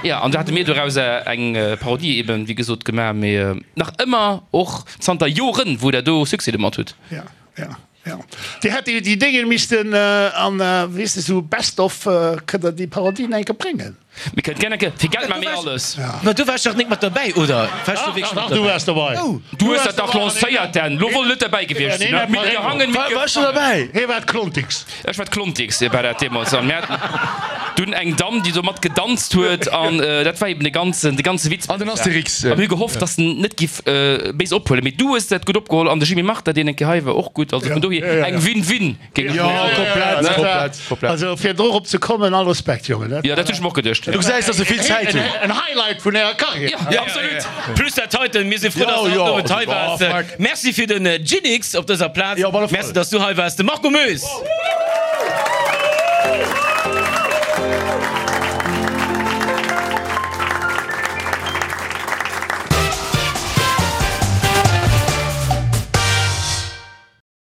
Jo, an do hate mir dorauser eng Parodie eben, wéi gesot, gemaach, mee nach ëmmer och zanter Joren, wou der do Succès domat hutt. Ja, ja. Ja. Dir hätt déi Déngen missten an, wéi heescht et, esou Best of, kënnt der déi Parodien eng Kéier bréngen. Mir kënnen gär eng Kéier, fir Geld maache mir alles. Ma du waars dach nik mat derbäi, oder? Waars du wierklech mat Du derbäi? waars derbäi. Du hues dat dach lancéiert, Dan. Lo wollt net derbäi gewiescht sinn. Mit gehangen, mit War ech gefangen. derbäi? Hie war d'Klontix. Ech war d'Klontix, war dat deemools. An mir haten dunn eng Damm, déi do mat gedanzt huet. An dat war eben de ganzen, de ganze Witz. An den Astérix. A mir hu gehofft, dass en net giff béis ophuelen. Mee du hues dat gutt opgeholl an de Jimmy Martin, deen eng Kéier hei war, och gutt. Also vun dohier eng Win-Win, géing ech Jo, soen. komplett, komplett, komplett. Also fir dorop ze kommen, all Respekt, Jongen. Dat Jo, dat hunn ech mer och geduecht. Du gesäis, dass se vill Zäit hunn. En Highlight vun ärer Karriär. Jo, absolut. Plus dat heiten. Mir si frou, dass du haut Owend hei waars. Merci fir den Ginix op dëser Plaz. Jo, op alle Fall. Merci, dass du hei waars, de Marco Moes.